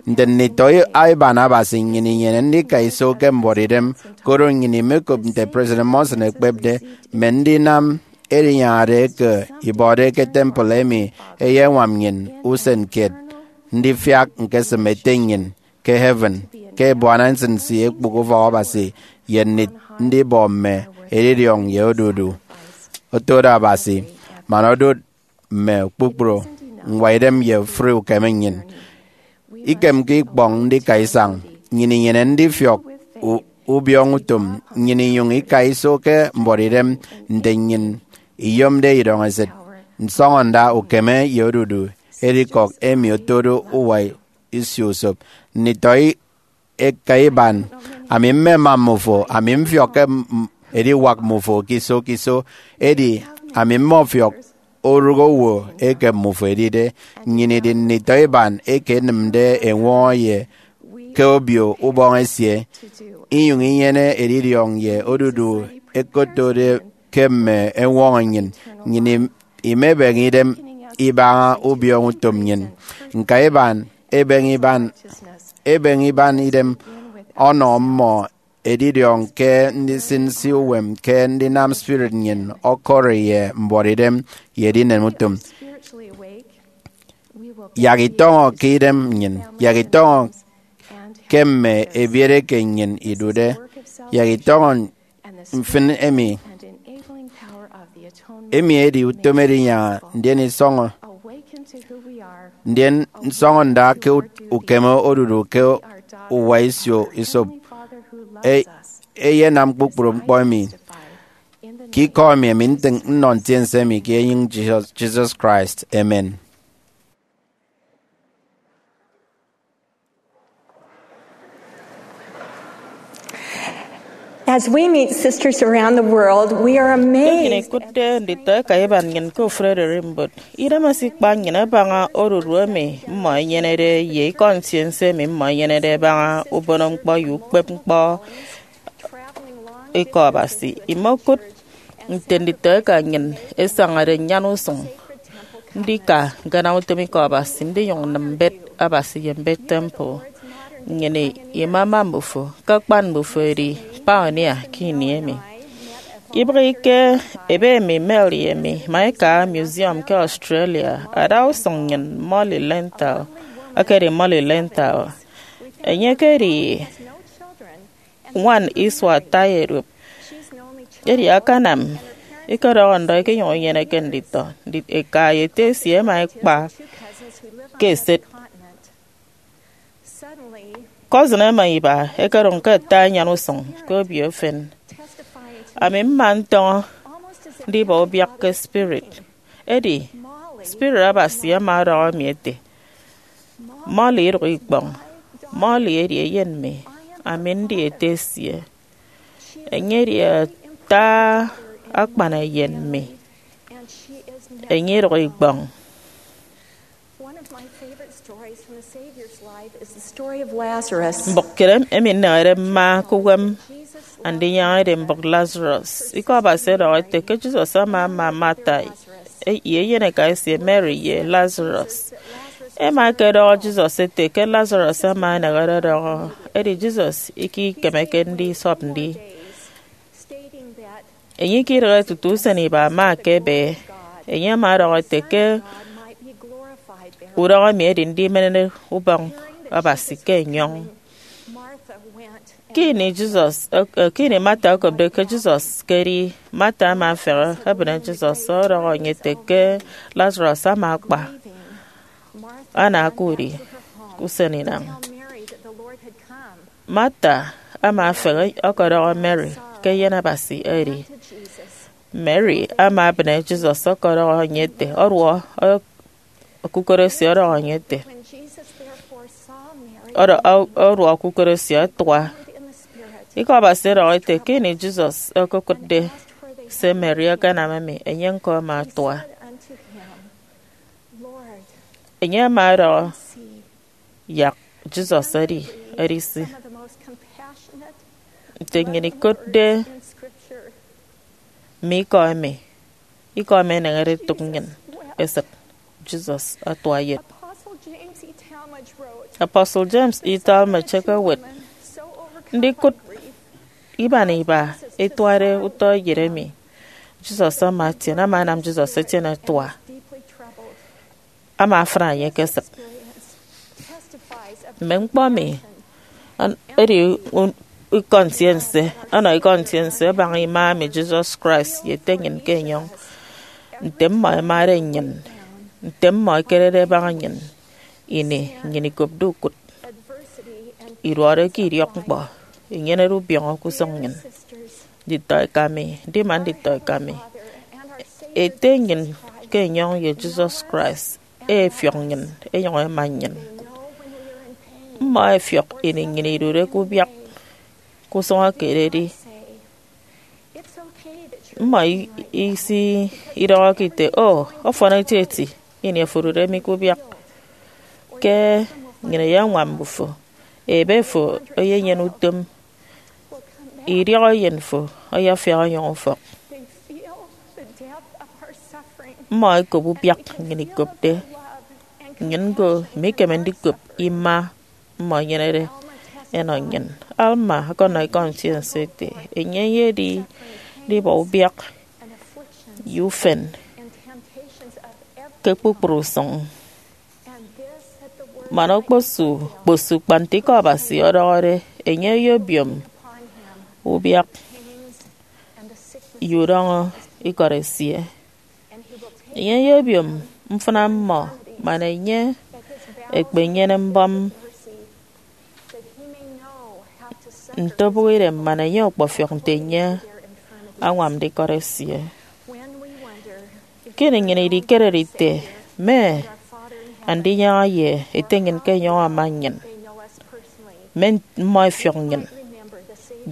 Nte nditọ iban Abasi, nnyịn inyene ndika iso ke mbuọtidem, koro nnyịn imekop nte President Monson ekpepde, mme ndinam edinyañade eke ibọde ke temple emi eyeñwam nnyịn usen kiet ndifiak ñkesịm Ete nnyịn ke heaven ke ebuana nsinsi ekpụk ufọk Abasi ye ndit- ndibọ mme edidiọñ ye odudu. Otode Abasi man odot mme kpukpru ñwaidem ye ofụri ukeme nnyịn. Ikemke ikpọñ ndika isañ. Nnyịn inyene ndifiọk u- ubiọñutom, nnyịn inyụñ ika iso ke mbuọtidem nte nnyịn iyomde idọñ esịt. Nsọñọnda ukeme ye odudu edikọk emi otode uwa isio usop. Nditọ i- eka iban, ami mmema mmufo, ami mfiọkke m- ediwak mmufo ke iso ke iso, edi ami mmọfiọk orụk owo eke mmufo edide. Nnyịn idi nditọ iban eke ẹnịmde eñwọñọ ye ke Obio Ubọñ esie, inyụñ inyene edidiọñ ye odudu ẹkotode ke mme eñwọñọ nnyịn. Nnyịn im- imebeñe idem ibaña ubiọñutom nnyịn. Ñka iban ebeñe iban ebeñe iban idem ọnọ mmọ edidiọñ ke ndisịn nsi uwem ke ndinam spirit nnyịn ọkọri ye mbuọtidem ye edinen utom. Yak itọñọ ke idem nnyịn, yak itọñọ ke mme ebiet eke nnyịn idude, yak itọñọ mfịn emi. Emi edi utom edinyaña, ndien isọñọ ndien nsọñọnda ke ut- ukeme odudu ke uwa isio isop. E- eyenam kpukpru ñkpọ emi. Ke ikọ emi, ami ntịñ nnọ ntiense emi ke enyịñ Jesus, Jesus Christ. Amen. As we meet sisters around the world, we are amazed. Ke nnyịn ikụtde nditọ eka iban nnyịn ke ofụri ererimbot, idem esikpa nnyịn abaña odudu emi mmọ ẹnyenede ye ikọ ntiense emi mmọ ẹnyenede ẹbaña ubonoñkpọ ye ukpepñkpọ ikọ Abasi. Imokụt nte nditọ eka nnyịn ẹsañade nnyana usụñ ndika ñkanam utom ikọ Abasi, ndinyụñ nnịm mbet Abasi ye mbet temple. Nnyịn imama mbufo ke akpan mbufo ẹdi pioneer ke ini emi. Ibịghike ebe emi, Mel ye emi ima ika museum ke Australia. Adausụñ nnyịn, Molly Lenthal, ekedi Molly Lenthal. Enye ekedi ñwan isua ata ye duop. Edi akanam ikọdọhọ ndọ ikenyụñ inyeneke nditọ. Ndi- eka ye ete esie ẹma ẹkpa ke esịt. Cousin ẹma iba ẹkedụñ ke ata anyan usụñ ke obio efen. Ami mma ntọñọ ndibọ ubiak ke spirit. Edi spirit Abasi ama ọdọhọ mi ete, Molly, idụk ikpọñ. Molly edi eyen mi, ami ndi ete esie. Enye edi ata akpan eyen mi. Enye idụk ikpọñ. One of my favorite stories from the Savior's life is the story of Lazarus. Mbụk kiet emi nnehede mma ke uwem Andinyaña edi mbụk Lazarus. Ikọ Abasi ọdọhọ ete ke Jesus ama ama Martha ye eyeneka esie Mary ye Lazarus. Ẹma ẹkedọhọ Jesus ete ke Lazarus ama enehede ọdọhọ, edi Jesus ikikemeke ndisọp ndi. Enye ikidịghe tutu usen iba ama ekebe. Enye ama ọdọhọ ete ke udọñ emi edi ndimenede ubọñ Abasi ke enyọñ. Ke ini Jesus, eh, ke ini Martha okopde ke Jesus ke edi, Martha ama afehe ebịne Jesus ọdọhọ enye ete ke Lazarus ama akpa, ana aka udi ke usen inañ. Martha ama afehe ọkọdọhọ Mary ke eyen Abasi edi. Mary ama ebịne Jesus ọkọdọhọ enye ete, ọduọ, eh, okukot esie ọdọhọ enye ete, ọdọ-, ọ-, ọduọ okukot esie atua. Ikọ Abasi ọdọhọ ete ke ini Jesus okokụtde se Mary akanam emi, enye ñko ama atua. Enye ama ọdọhọ, yak Jesus edi edise. Nte nnyịn ikotde mme ikọ emi, ikọ emi eneñede etụk nnyịn esịt, Jesus atua yet. Apostle James E. Talmage ekewet, ndikụt iban iba etuade utọ eyet emi Jesus ama etiene ama anam Jesus etiene atua. Ama afịna enye ke esịt. Mme ñkpọ emi an-, edi un-, ikọ ntiense, ọnọ ikọ ntiense abaña ima emi Jesus Christ ye Ete nnyịn ke enyọñ, nte mmọ ẹmade nnyịn, nte mmọ ẹkerede ẹbaña nnyịn ini nnyịn ikopde ukụt, iduọde ke idiọkñkpọ, inyenede ubiọñọ ke usụñ nnyịn. Nditọeka mi, ndi man nditọeka mi, Ete nnyịn ke enyọñ ye Jesus Christ efiọk nnyịn, enyụñ ẹma nnyịn. Mmọ ẹfiọk ini nnyịn idude ke ubiak ke usụñ ekededi. Mmọ i-, isi idọhọke ite, o, ọfọn etieti ini afo odude mi ke ubiak, ke nnyịn eyeñwam mbufo, ebe fo eyenyene utom, idiọk eyen fo ayafiak ọnyọñ ufọk. Mmọ ẹkop ubiak nnyịn ikopde. Nnyịn ñko imikeme ndikop ima mmọ ẹnyenede ẹnọ nnyịn. Alma ọkọnọ ikọ ntiense ete, enye eyedi ndibọ ubiak ye ufen ke kpukpru usụñ. Man okposu kposu kpa nte ikọ Abasi ọdọhọde, enye eyebiom ubiak ye udọñọ ikọt esie. Enye eyebiom mfịna mmọ, man enye ekpenyene mbọm nte obụk idem, man enye ọkpọfiọk nte enye añwamde ikọt esie. Ke ini nnyịn idikerede ite, mme andinyaña ye Ete nnyịn ke enyọñ ama nnyịn, mme mmọ ẹfiọk nnyịn,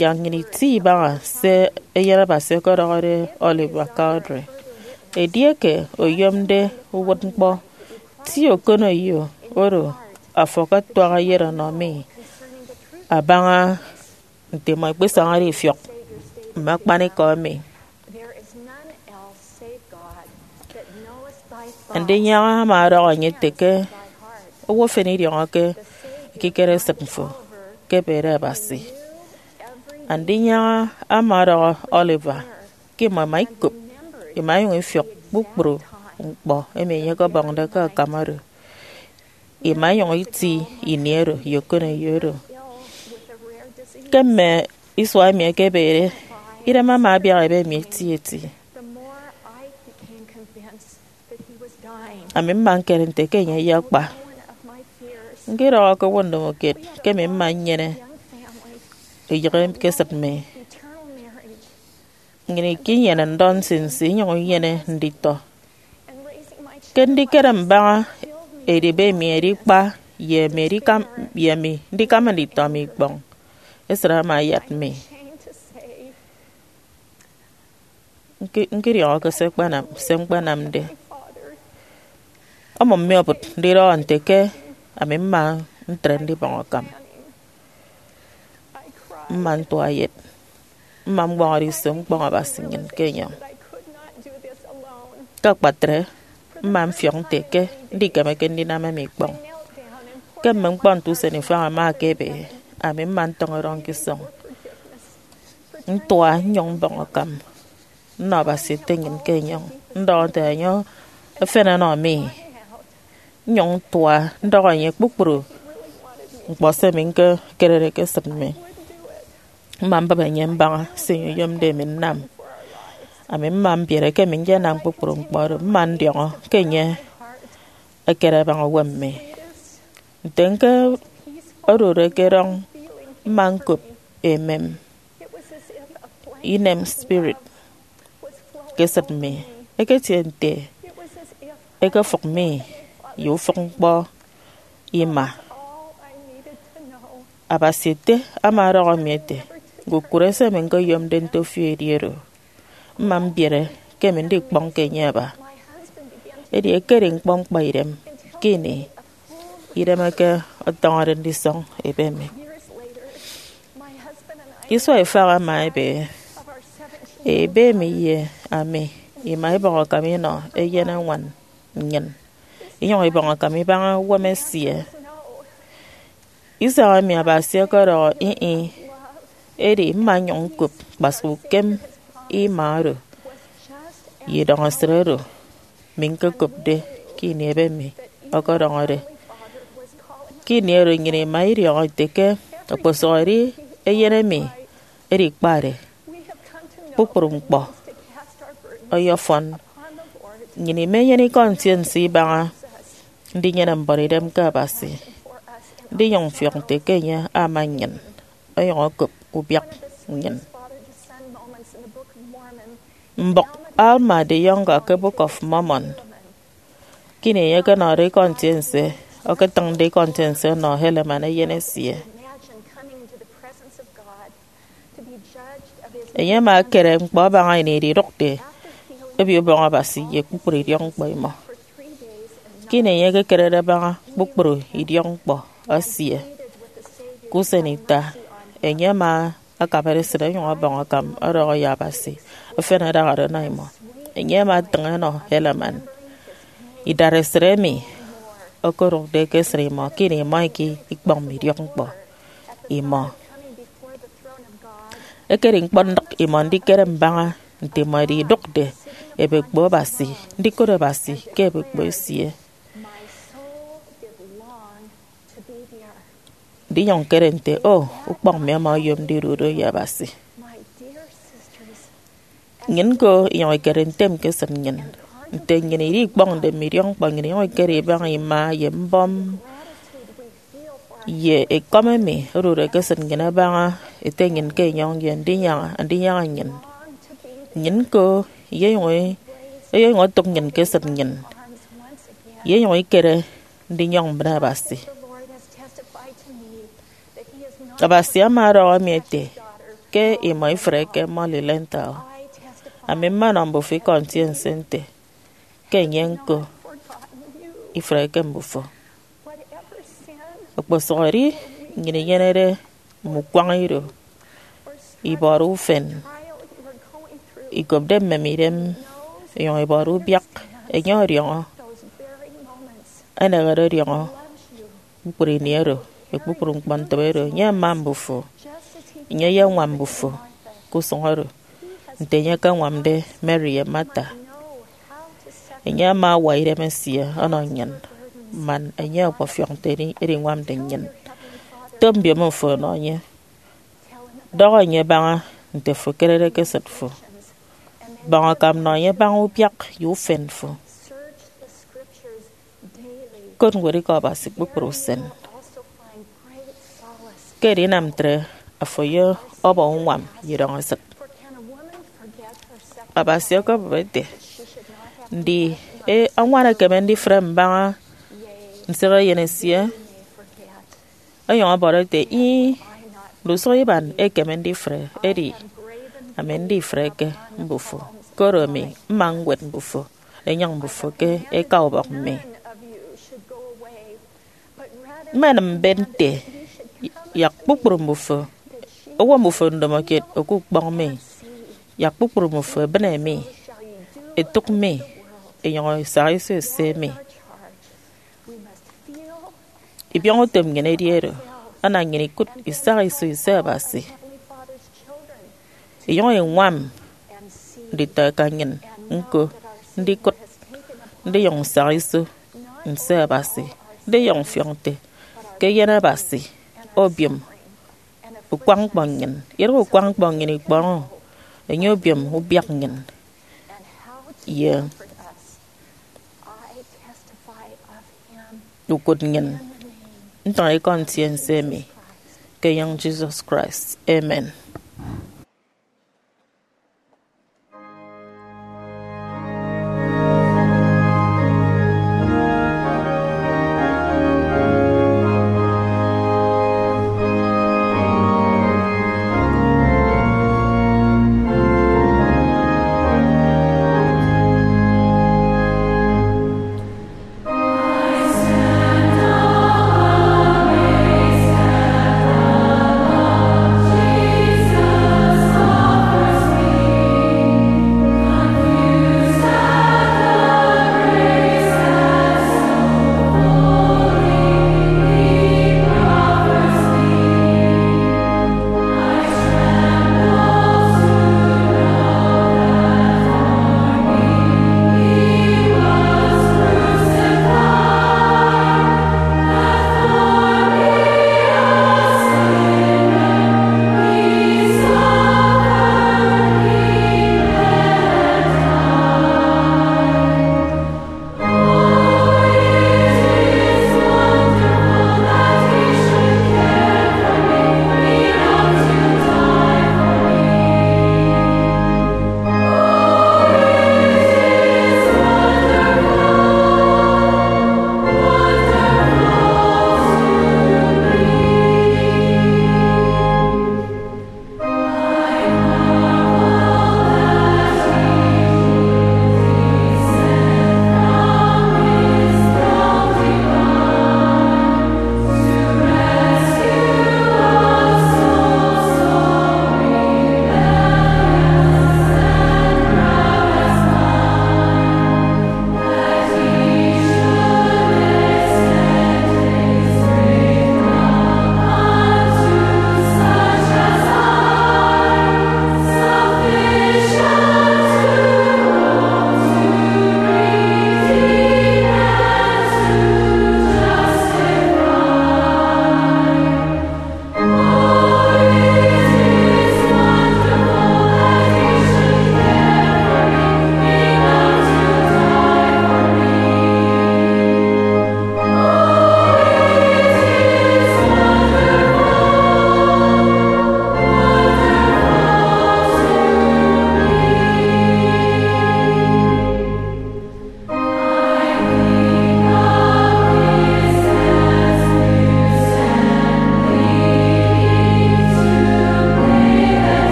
yak nnyịn iti ibaña se Eyen Abasi ọkọdọhọde Oliver Cowdery. Edieke oyomde uwụtñkpọ, ti okoneyo oro afo akatuaha eyet ọnọ mi abaña nte imọ ikpesañade ifiọk mme akpanikọ emi. Andinyaña ama ọdọhọ enye ete ke owo efen idiọñọke ekikere esịt fo ke ebede Abasi. Andinyaña ama ọdọhọ Oliver ke imọ ima ikop, ima inyụñ ifiọk kpukpru ñkpọ emi enye ọkọbọñde ke akam oro. Ima inyụñ iti ini oro ye okoneyo oro. Ke mme isua emi ẹkebede, idem ama abiak ebe mi etieti. Ami mma ñkere nte ke enye ayakpa. Ñkidọhọ ke owo ndomokiet ke ami mma nnyene eyịghe ke esịt mi. Nnyịn ikinyene ndọ nsinsi inyụñ inyene nditọ. Ke ndikere mbaña edịbe emi edikpa ye emi edikam, ye emi ndikama nditọ mi ikpọñ, esịt ama ayat mi. Ñki-, ñkidiọñọke se ñkpanam, se ñkpanamde. Ọmụm mi obụt ndidọhọ nte ke ami mma ntre ndibọñ akam. Mma ntua eyet. Mma mboñọde iso mkpọñ Abasi nnyịn ke enyọñ. Ke akpatre, mma mfiọk nte ke ndikemeke ndinam emi ikpọñ. Ke mme ñkpọ nte usen ifañ ẹma ẹkebe, ami mma ntọñọ erọñ ke isọñ. Ntua nnyụñ mbọñ akam, nnọ Abasi Ete nnyịn ke enyọñ, ndọhọ nte enye efen ọnọ mi. Nnyụñ ntua ndọhọ enye kpukpru ñkpọ se mi ñkekerede ke esịt mi. Mma mbịp enye mbaña se enye oyomde emi nnam. Ami mma mbiere ke emi nyenam kpukpru ñkpọ oro, mma ndiọñọ ke enye ekere abaña uwem mi. Nte ñke odude ke erọñ, mma ñkop emem inem spirit ke esịt mi. Eketie nte ekefụk mi ye ufụk ñkpọ ima. Abasi ete ama ọdọhọ mi ete, ñkukụre se emi ñkoyomde nte ofio edi oro. Mma mbiere ke emi ndikpọñ ke enye aba. Edi ekedi ñkpọ ñkpaidem ke ini idemeke ọtọñọde ndisọñ ebe mi. Isua ifañ ama ebe, ebe mi ye ami ima ibọñ akam inọ eyeneñwan nnyịn, inyụñ ibọñ akam ibaña uwem esie. Isañ emi Abasi ọkọdọhọ ih ih, edi mma nnyụñ ñkop kpasụk ukem ima oro ye idọñesịt oro mi ñkokopde ke ini ebe mi ọkọdọñọde. Ke ini oro nnyịn ima idiọñọ ite ke okposụkedi eyen emi edi kpade kpukpru ñkpọ ọyọfọn. Nnyịn imenyene ikọ ntiense ibaña ndinyene mbuọtidem ke Abasi, ndinyụñ mfiọk nte ke enye ama nnyịn, onyụñ okop ubiak nnyịn. Mbụk Alma the Younger ke Book of Mormon. Ke ini enye ọkọnọde ikọ ntiense, ọkọtịñde ikọ ntiense ọnọ Helaman eyen esie. Enye ama ekere ñkpọ abaña ini ididụkde Obio Ubọñ Abasi ye kpukpru idiọkñkpọ imọ. Ke ini enye ekekerede abaña kpukpru idiọkñkpọ esie ke usen ita, enye ama akabade esịt onyụñ ọbọñ akam ọdọhọ ye Abasi efen adahade ọnọ imọ. Enye ama atịñ ọnọ Helaman idatesịt emi okodụkde ke esịt imọ ke ini imọ ika ikpọñ mme idiọkñkpọ imọ. Ekedi ñkpọndịk imọ ndikere mbaña nte imọ ididụkde ebekpo Abasi, ndikot Abasi ke ebekpo esie. Ndinyụñ ñkere nte, o, ukpọñ mi ama oyom ndidu do ye Abasi. Nnyịn ñko inyụñ ikere ntem ke esịt nnyịn. Nte nnyịn idikpọñde mme idiọkñkpọ nnyịn inyụñ ikere ibaña ima ye mbọm ye ekọm emi odude ke esịt nnyịn abaña Ete nnyịn ke enyọñ ye ndinyaña, ndinyaña nnyịn. Nnyịn ñko iyenyụñ, eyenyụñ otụk nnyịn ke esịt nnyịn, iyenyụñ ikere ndinyọñ mbịne Abasi. Abasi ama ọdọhọ mi ete ke imọ ifreke Molly Lenthal. Ami mmanọ mbufo ikọ ntiense nte ke enye ñko ifreke mbufo. Okposụkedi nnyịn inyenede mme ukwañ ido, ibọrọ ufen, ikopde mmem idem, inyụñ ibọrọ ubiak, enye ọdiọñọ, enehede ọdiọñọ kpukpru ini oro, ye kpukpru ñkpọntịbe oro, enye ama mbufo, enye eyeñwam mbufo ke usụñ oro, nte enye ekeñwamde Mary ye Martha. Enye ama awa idem esie ọnọ nnyịn, man enye ọkpọfiọk nte edi-, ediñwamde nnyịn. Top mbiomo fo ọnọ enye. Dọhọ enye baña nte fo ekerede ke esịt fo. Bọñ akam nọ enye baña ubiak ye ufen fo. Kot ñwedikọ Abasi kpukpru usen. Ke edinam ntre, afo ye ọbọ uñwam ye idọñesịt. Abasi ọkọbụp ete, ndi e, añwan ekeme ndifre mbaña nsịk eyen esie? Onyụñ ọbọrọ ete, ih, ndusụk iban ekeme ndifre, edi ami ndifreke mbufo, koro ami mma ñwet mbufo, enyịñ mbufo ke eka ubọk mi. Mmenịm mbet nte, yak kpukpru mbufo, owo mbufo ndomokiet okukpọñ mi, yak kpukpru mbufo ebịne mi, etụk mi, enyụñ esaha iso ese mi. Ibiọñutom nnyịn edi oro, ana nnyịn ikụt isaha iso ise Abasi. Inyụñ iñwam nditọeka nnyịn ñko ndikụt, ndiyụñ nsaña iso nse Abasi, ndiyụñ mfiọk nte ke eyen Abasi obiom ukwañ ñkpọ nnyịn, idịghe ukwañ ñkpọ nnyịn ikpọñọ enye obiom ubiak nnyịn ye ukụt nnyịn. Ntịñikọ Ntiense emi ke enyịñ Jesus Christ. Amen.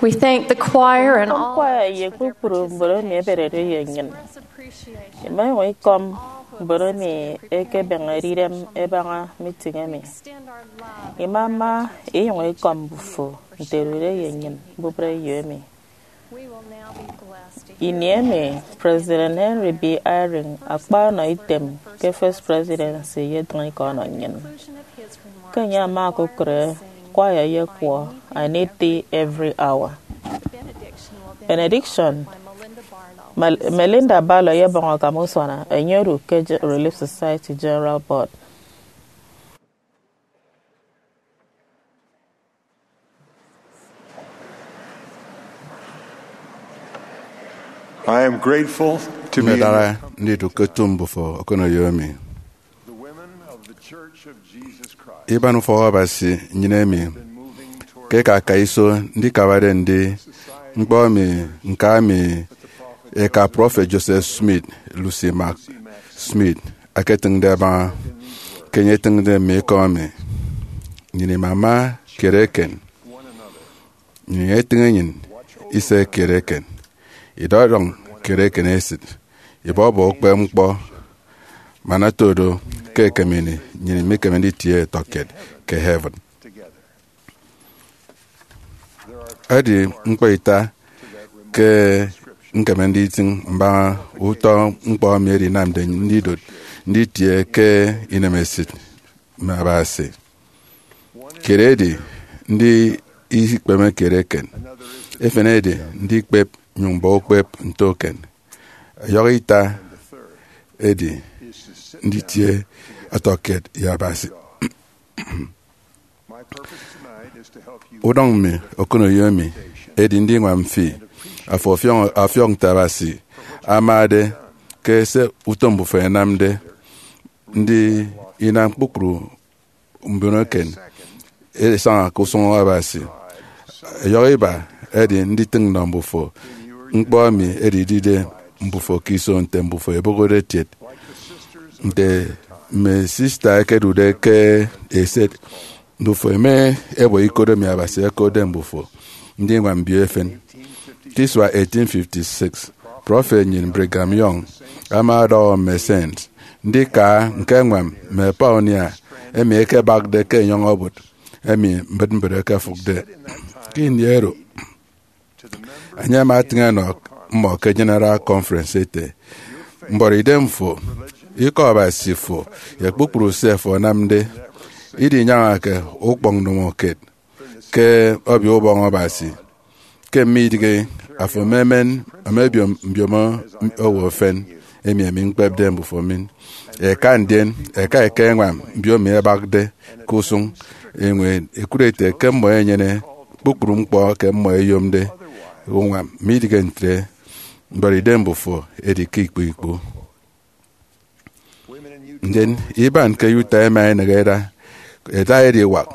We thank the choir and all kwaya ye kpukpru mbon emi eberede ye nnyịn. Ima inyụñ ikọm mbon emi ẹkebeñede idem ẹbaña meeting emi. Imama inyụñ ikọm mbufo nte ẹdude ye nnyịn mbubreyo emi. Ini emi, President Henry B. Eyring akpa ọnọ item ke First Presidency ye ntịñikọ ọnọ nnyịn. Ke enye ama okụre, kwaya eyekwọ I Need Thee Every Hour. Benediction, Mel- Melinda Barlow eyebọñ akam usuana, enye odu ke Je- Relief Society General Board. I am grateful to be in Mmedara ndidụk ke otu mbufo okoneyo emi. The women of the Church of Jesus Christ Iban ufọk Abasi nnyịn emi, have been moving toward ke ka aka iso ndikabade ndi society ñkpọ emi, nka emi that the prophet eka Joseph prọfet Joseph Smith, Lucy Mack Smith, aketịñde abaña ke enye etịñde mme ikọ emi. Nnyịn imama kiet eken. One another. Nnyịn etịñ enyịn ise kiet eken, idọdọñ kiet eken esịt, ibọbọ ukpep ñkpọ, man oto do ke ekem ini nnyịn mikeme nditie ẹtọkiet ke heaven. Edi ñkpọ ita ke ñkeme nditịñ mbaña utọ ñkpọ emi edinamde ndidot nditie ke inemesịt mme Abasi. Kiet edi ndi ikpeme kiet eken. Efen edi ndikpep nyụñ bọ ukpep nto eken. Ẹyọhọ ita edi nditie ọtọkiet ye Abasi. Udọñ mi okoneyo emi edi ndiñwam fi afo ọfiọñ, ọfiọk nte Abasi amade ke se utom mbufo ẹnamde, ndi inam kpukpru mbon eken ẹsaña ke usụñ Abasi. Ẹyọhọ iba edi nditịñ nnọ mbufo ñkpọ emi edidide mbufo ke iso nte mbufo ẹbụhọde ẹtiet. Nte mme sista ẹkedude ke eset, mbufo ẹma ẹbọ ikot emi Abasi okotde mbufo ndiñwam mbio efen. Ke isua eighteen fifty-six, prọfet nnyịn Brigham Young ama ọdọhọ mme Saints ndika ñkeñwam mme pioneer emi ẹkebakde ke enyọñ obot emi mbịtmbịt ẹkefụkde. Ke ini oro, enye ama etịñ enọ mmọ ke General Conference ete, "Mbuọtidem fo, ikọ Abasi fo, ye kpukpru se fo anamde, idinyañake ukpọñ ndomokiet ke Obio Ubọñ Abasi. Ke mme idịghe, afo ememen, emebiom mbiomo owo efen, emi ami ñkpepde mbufo min. Eka ndien, eka eka eñwam mbio emi ẹbakde ke usụñ eñwen, ẹkụt ete ke mmọ ẹnyene kpukpru ñkpọ ke mmọ ẹyomde uñwam, midịghe ntre, mbuọtidem mbufo edi ke ikpu ikpu." Ndien iban ke Utah ẹma ẹnịghe ẹda, ẹda ediwak.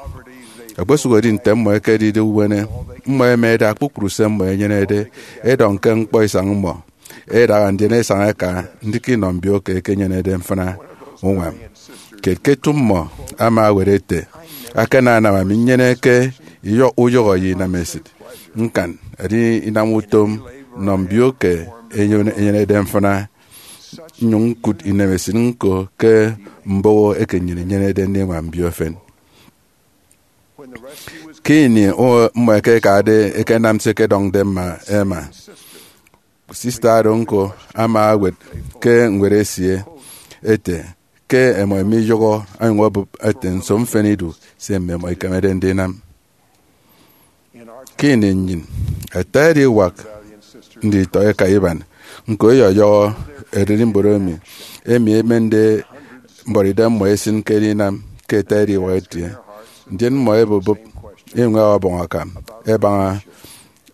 Okposụkedi nte mmọ ẹkedide uwene, mmọ ẹma ẹda kpukpru se mmọ ẹnyenede, ẹdọñ ke ñkpọ isañ mmọ, ẹdaha ndien ẹsaña ẹka ndịk inọ mbio ke ẹkenyenede mfịna uñwam. Kiet ke eto mmọ ama ewet ete, "Akananam ami nnyene ke iyọ-, uyụhọ ye inam esịt ñkan, edi inam utom nnọ mbio ke enyen-, enyenede mfịna, nnyụñ ñkụt inemesịt ñko ke mboho eke nnyịn inyenede ndiñwam mbio efen." Ke ini mmọ ẹkekade ẹkenam se ẹkedọñde mma ẹma, sista oro ñko ama ewet ke ñwed esie ete ke ẹmọ ẹmiyụhọ, onyụñ obụp ete nso mfịn idu se mmimọ ikemede ndinam. Ke ini nnyịn, ata ediwak nditọ eka iban ñko ẹyọyọhọ ererimbot emi, emi emende mbuọtidem mmọ esịn ke edinam ke ata ediwak etie. Ndien mmọ ẹbụbụp, iñwaña ọbọñ akam ẹbaña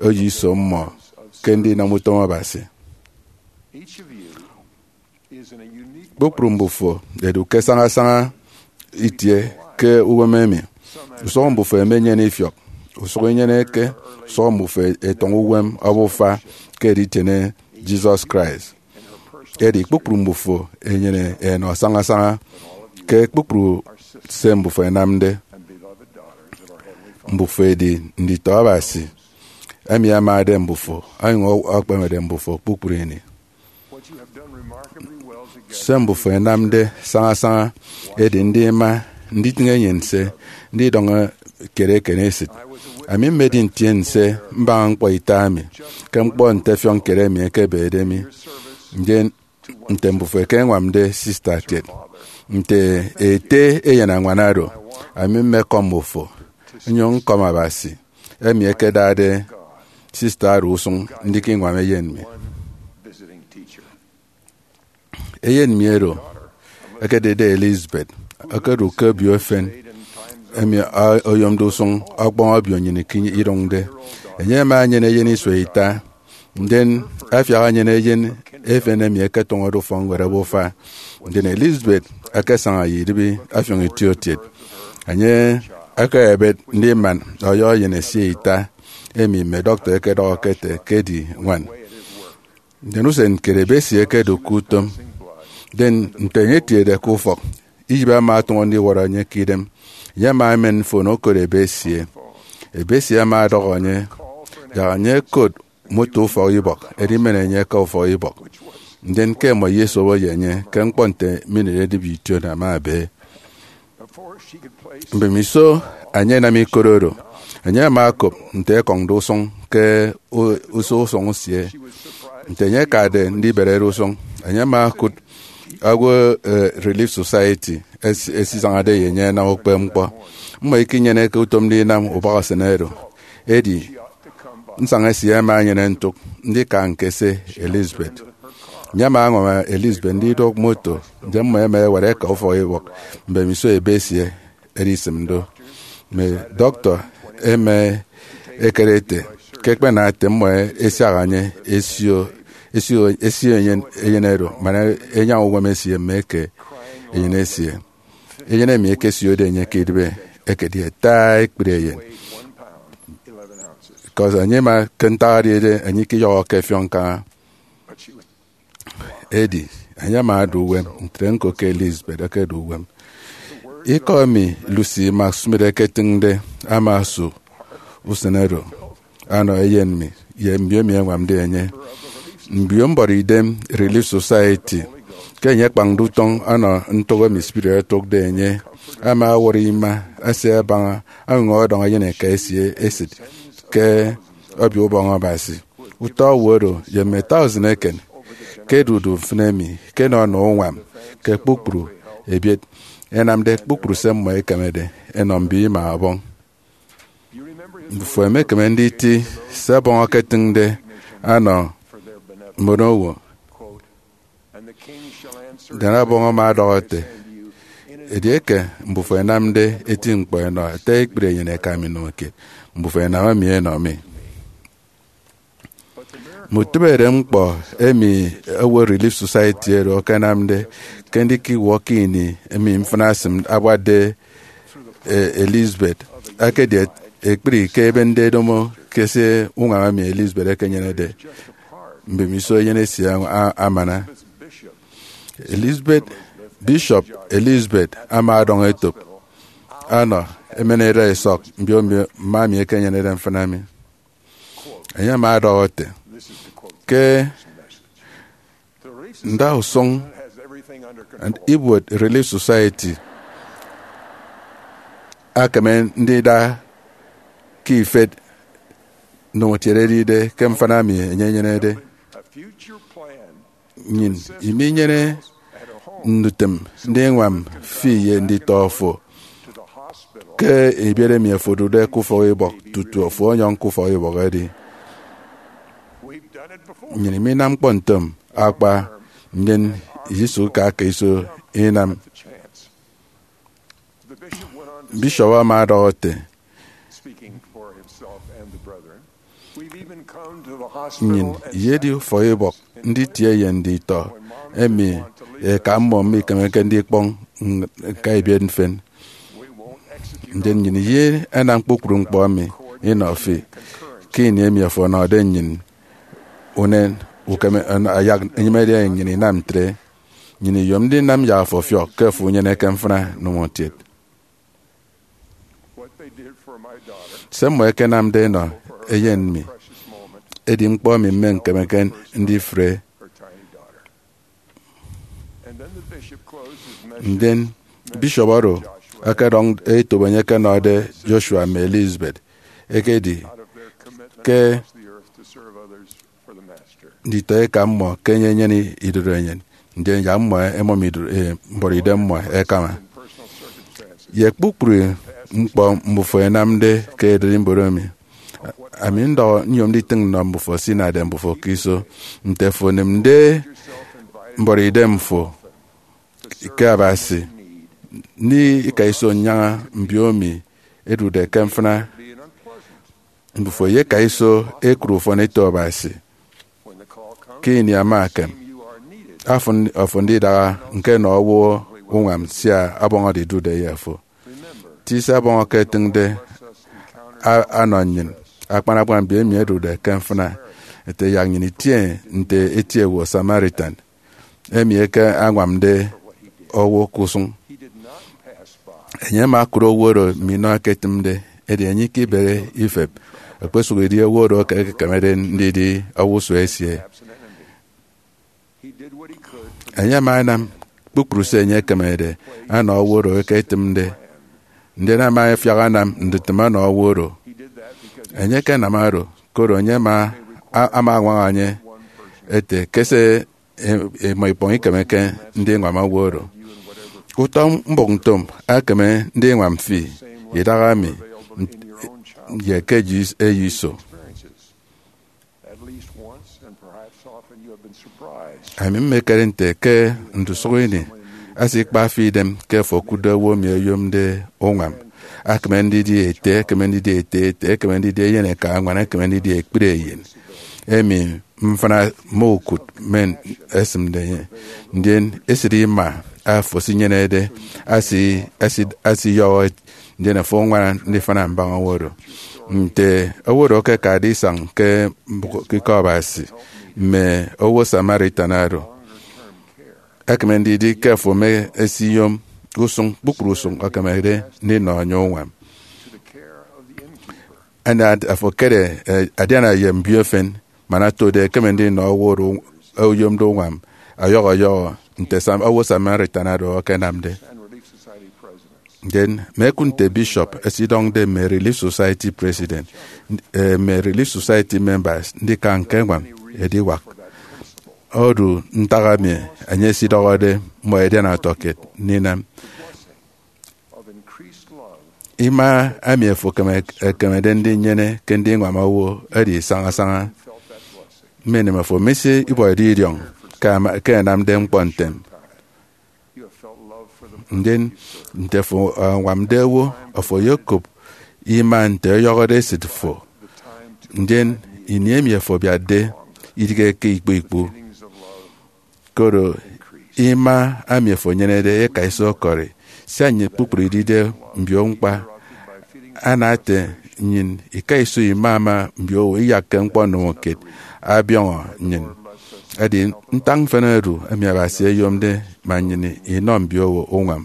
oyo iso mmọ ke ndinam utom Abasi. Kpukpru mbufo ẹdu ke sañasaña itie ke uwem emi. Usụhọ mbufo emenyene ifiọk. Usụhọ inyeneke. Usụhọ mbufo ẹtọñọ uwem obufa ke editiene Jesus Christ. Edi kpukpru mbufo ẹnyene ẹnọ sañasaña ke kpukpru se mbufo ẹnamde. Mbufo ẹdi nditọ Abasi, emi amade mbufo, onyụñ ọkpemede mbufo kpukpru ini. Se mbufo ẹnamde sañasaña edi ndima nditịñ enyịn nse, ndidọñ kiet eken esịt. Ami mmedi ntiense mbaña ñkpọ ita emi ke ñkpọ nte ẹfiọk kiet emi ẹkebede mi, ndien nte mbufo ẹkeñwamde sista kiet, nte ete eyenañwan oro, ami mmekọm mmufo, nnyụñ ñkọm Abasi, emi ẹkedade sista oro usụñ ndika iñwam eyen mi. Eyen mi oro ekedide Elizabeth okodu ke obio efen emi oyomde usụñ ọkpọñ obio nnyịn ikịt idụñde. Enye ama enyene eyen isua ita. Ndien afiak enyene eyen efen emi eketụñọde ufọkñwed ebufa. Ndien Elizabeth ekesaña ye idịbi ọfiọñ itiokiet. Enye ekeyebet ndiman ọyọ eyen esie ita, emi mme dọktọ ẹkedọhọke ẹte ke edi ñwan. Ndien usen kiet ebe esie ekedu ke utom. Ndien nte enye etiede ke ufọk, iyịp ama atụñọ ndiwọrọ enye ke idem. Enye ama emen mfon okot ebe esie. Ebe esie ama ọdọhọ enye yak enye ekot moto ufọk ibọk, edi men enye aka ufọk ibọk. Ndien ke ẹmọ ye esobo ye enye ke ñkpọ nte minit edịbi ition ama ebe. Mbemiso enye enam ikot oro, enye ama okop nte ekọñde usụñ ke u- uso usụñ esie. Nte enye akade ndiberede usụñ, enye ama okụt owo eh, Relief Society es- esisañade ye enye ẹnam ukpepñkpọ. Mmọ ikinyeneke utom ndinam ubak usen oro. Edi nsaña esie ama enyene ntụk ndika ñkese Elizabeth. Enye ama añwam Elizabeth ndidụk moto, ndien mmọ ẹma ẹwat ẹka ufọk ibọk mbemiso ebe esie edisịm do. Mme dọktọ ẹma ẹkere ete ke ẹkpena ete mmọ ẹsiak enye ẹsio ẹsio ẹsio eyen eyen oro man ẹnyaña uñwam esie mme eke eyen esie. Eyen emi ekesiode enye ke idịbe ekedi ata ekpri eyen, because enye ima ke ntak edi ede enye ikiyọhọke ẹfiọk ñkaña. Edi enye ama ada uwem ntre ñko ke Elizabeth ekedu uwem. Ikọ emi Lucy Mack Smith eketịñde ama osu usen oro ọnọ eyen mi ye mbiomi ẹñwamde enye. Mbio mbọrọ idem Relief Society, ke enye akpañde utọñ ọnọ ntụk emi spirit etụkde enye, ama ọwọrọ ima esie abaña añwam ọdọñ eyen eka esie esịt ke Obio Ubọñ Abasi. Utọ owo oro ye mme thousand eken ke ẹdude mfịn emi ke ẹnọ ẹnọ uñwam ke kpukpru ebiet, ẹnamde kpukpru se mmọ ẹkemede ẹnọ mbio ima ọbọñ. Mbufo emekeme nditi se Ọbọñ eketịñde ọnọ mbon owo. Ndien Ọbọñ ama ọdọhọ ete, edieke mbufo ẹnamde eti ñkpọ ẹnọ ata ekpri eyen eka mi nnọ kiet, mbufo ẹnam emi ẹnọ mi. Mme utịbeñede ñkpọ emi owo Relief Society oro ẹkenamde ke ndikiwọ ke ini emi mfịna esịm abuatde e, Elizabeth ekedi ekpri ke ebende edomo ke se uñwam emi Elizabeth ekenyenede mbemiso eyen esie a- amana. Elizabeth, Bishop Elizabeth ama ọdọñ etop ọnọ emen eda isọk mbio mbio mma emi ekenyenede mfịna mi. Enye ama ọdọhọ ete, ke ndausụñ ibuot Relief Society akeme ndida ke ifet ndomokiet edide ke mfịna mi enye enyenede. Nnyịn iminyene ndutịm ndiñwam fi ye nditọ fo ke ebiet emi fo odude ke ufọk ibọk tutu fo onyọñ ke ufọk ibọk edi. Nnyịn iminam ñkpọ ntom akpa, ndien isisụkke aka iso inam. Bishop ama ọdọhọ ete, nnyịn iyedi ufọk ibọk nditie ye nditọ emi eka mmọ mikemeke ndikpọñ ñka ebiet mfịn. Ndien nnyịn iyenam kpukpru ñkpọ emi inọ fi ke ini emi fo ọnọde nnyịn unen ukeme ayak enyịmede nnyịn inam ntre. Nnyịn iyom ndinam yak fo ọfiọk ke fo unyeneke mfịna ndomokiet. Se mmọ ẹkenamde ẹnọ eyen mi edi ñkpọ emi mmeñkemeke ndifre. Ndien bishop oro ọkọdọñ etop enye ẹkenọde Joshua mme Elizabeth, ekedi ke nditọ eka mmọ ke enye enyene idorenyin, ndien yak mmọ ẹmọm ido- eh, mbọrọidem mmọ ẹkama. Ye kpukpru ñkpọ mbufo ẹnamde ke ererimbot emi, ami ndọhọ nyom nditịñ nnọ mbufo se inade mbufo ke iso. Nte fo onịmde mbọrọidem fo ke Abasi, ndi ika iso nnyaña mbio emi ẹdude ke mfịna? Mbufo eyeka iso ẹkụt ufọn eto Abasi. ke ini ama ekem, afo, afo ndidaha ñke nọ owo uñwam sia ọbọñọde idude ye afo. Ti se ọbọñ eke etịñde a- anọ nnyịn, akpan akpan mbio emi ẹdude ke mfịna, ete yak nnyịn itie nte eti owo Samaritan emi eke añwamde owo ke usụñ. Enye ama okụt owo oro minọ ẹketịmde, edi enye ikebere ifep, okposụkedi owo oro eke ekekemede ndidi owo usua esie. Enye ama anam kpukpru se enye ekemede anọ owo oro eke etịmde, ndien ama afiak anam ndutịm ọnọ owo oro. Enye ekenam oro, koro enye ama, a- ama añwaña enye ete ke se e- imọ ikpọñ ikemeke ndiñwam owo oro. Utọ mbụk ntom ekeme ndiñwam fi idaha mi, n- ye ke eyo iso. Ami mmekere nte ke ndusụk ini, esikpa fi idem ke afo okụtde owo emi oyomde uñwam. Ekeme ndidi ete, ekeme ndidi ete ete, ekeme ndidi eyeneka añwan, ekeme ndidi ekpri eyen emi mfịna mokụt men esịmde enye. Ndien esịt ima afo esinyenede asi- asi- asiyọhọ, ndien afo añwana ndifana mbaña owo oro. Nte owo oro ekekade isañ ke mbụk ikọ Abasi, mme owo Samaritan oro, ekeme ndidi ke afo mme esiyom usụñ kpukpru usụñ ekemede ndinọ enye uñwam. Ana afo ekere, eh, adiana ye mbio efen, man otode ekeme ndinọ owo oro oyomde uñwam ọyọhọ ọyọhọ nte Sam- owo Samaritan oro akanamde. Ndien mme ekụt nte bishop esidọñde mme Relief Society president, eh, mme Relief Society members ndika ñke ñwam ediwak odu ntak emi enye esidọhọde mmọ edian ọtọkiet ndinam. Ima emi afo ekeme- ekemede ndinyene ke ndiñwam owo edi saña saña. Mme enem afo misi ibọhọde idiọñ ke ama- ke ẹnamde ñkpọ ntem. Ndien nte afo añwamde owo, afo oyokop ima nte ọyọhọde esịt fo. Ndien ini emi afo abiatde idịghe ke ikpu ikpu, koro ima emi afo enyenede eka iso ọkọri, sia nnyịn kpukpru idide mbio ñkpa. Ana ete nnyịn ika iso ima ama mbio owo iyakke ñkpọ ndomokiet abiọñọ nnyịn. Edi ntak mfịna odu emi Abasi oyomde man nnyịn inọ mbio owo uñwam.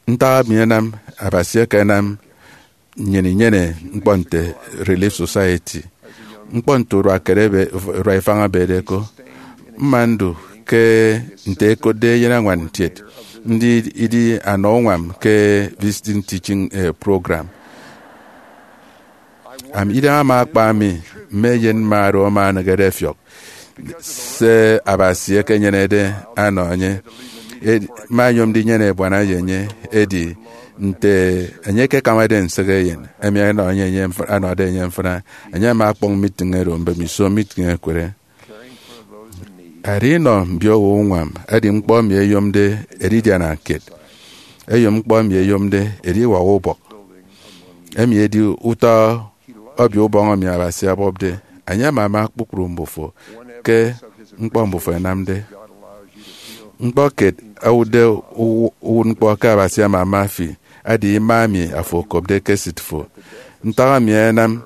Ntak emi anam Abasi akanam nnyịn inyene ñkpọ nte Relief Society? Ñkpọ nte urua kiet ebe- urua ifañ ebede ko. Mma ndu ke nte ẹkotde eyenañwan kiet, ndi idi anọ uñwam ke visiting teaching, eh, program. Am, idem ama akpa mi, mme eyen mma oro ama anịghede ẹfiọk se Abasi ekenyenede anọ enye. Edi, mma nyom ndinyene ebuana ye enye, edi nte enye ekekamade nsịk eyen emi anọ enye, enye mf- anọde enye mfịna, enye ama ọkpọñ meeting oro mbemiso meeting ekụre. Edi inọ mbio owo uñwam edi ñkpọ emi eyomde edidiana kiet. Eyom ñkpọ emi eyomde ediwak ubọk. Emi edi utọ obio ubọñ emi Abasi ọbọpde. Enye ama ama kpukpru mbufo ke ñkpọ mbufo ẹnamde. Ñkpọ kiet owụtde uwu- uwụtñkpọ ke Abasi ama ama fi edi ima emi afo okopde ke esịt fo. Ntak emi anam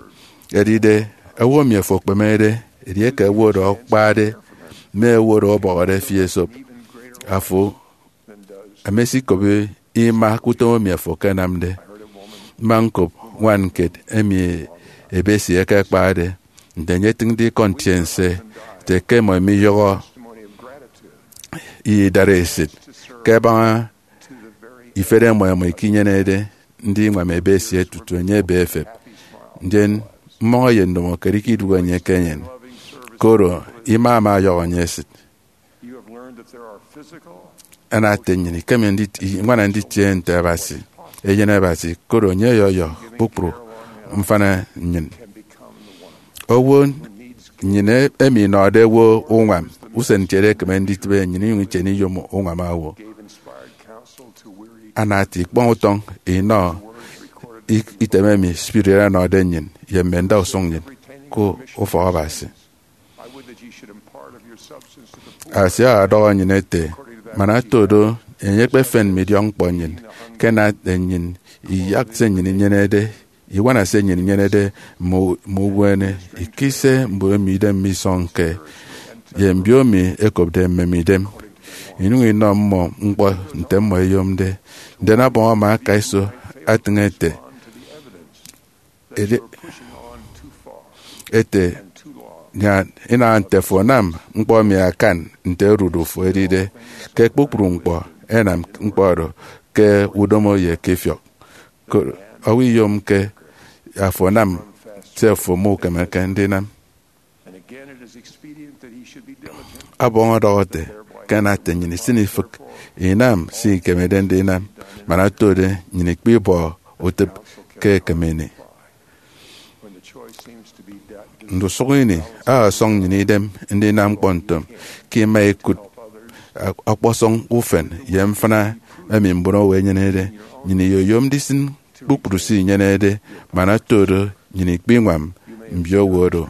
edide owo emi afo okpemede, edieke owo oro akpade, mme owo oro ọbọhọde fi esop, afo emesikop ima ke utom emi afo akanamde. Mma ñkop ñwan kiet emi ebe esie ekekpade, nte enye etịñde ikọ ntiense, ete ke mmọ imiyọhọ idara esịt ke ẹbaña ifet ẹmọ ẹmọ ikinyenede ndiñwam ebe esie tutu enye ebe efep. Ndien mmọñ ye ndomokiet ikidụhe enye ke enyịn, koro ima ama ọyọhọ enye esịt. Ana ete nnyịn ikeme ndit- iñwana nditie nte Abasi, eyen Abasi, koro enye ọyọyọ kpukpru mfana nnyịn. Owo nnyịn e- emi inọde owo uñwam usen kiet ekeme nditịbe nnyịn inyụñ itiene iyom uñwam owo. Ana ete ikpọñ utọñ inọ i- item emi spirit anọde nnyịn ye mme ndausụñ nnyịn. ke ufọk Abasi. Abasi ọdọhọ nnyịn ete, man oto do, enye ekpefen mme idiọkñkpọ nnyịn, ke nate nnyịn iyak se nnyịn inyenede, iwana se nnyịn inyenede, mme mme ubuene, ikise mbon emi idem misọñke, ye mbio emi ekopde mmem idem, inyụñ inọ mmọ ñkpọ nte mmọ ẹyomde. Ndien Ọbọñ ama aka iso atịñ ete, edi- ete, nyan, inaha nte afo anam ñkpọ emi akan nte odudu fo edide, ke kpukpru ñkpọ ẹnam ñkpọ oro ke udomo ye ke ifiọk. Koro owo iyomke afo anam se afo mukemeke ndinam. Ọbọñ ọdọhọ ete, ke nate nnyịn isịn ifịk inam se ikemede ndinam, man otode nnyịn ikpe ibọ utịp ke ekem ini. Ndusụk ini, a ọsọñ nnyịn idem ndinam ñkpọ ntom ke ima ikụt ọkpọsọñ ufen ye mfịna emi mbon owo ẹnyenede. Nnyịn iyoyom ndisịn kpukpru se inyenede, man oto do nnyịn ikpe iñwam mbio owo oro.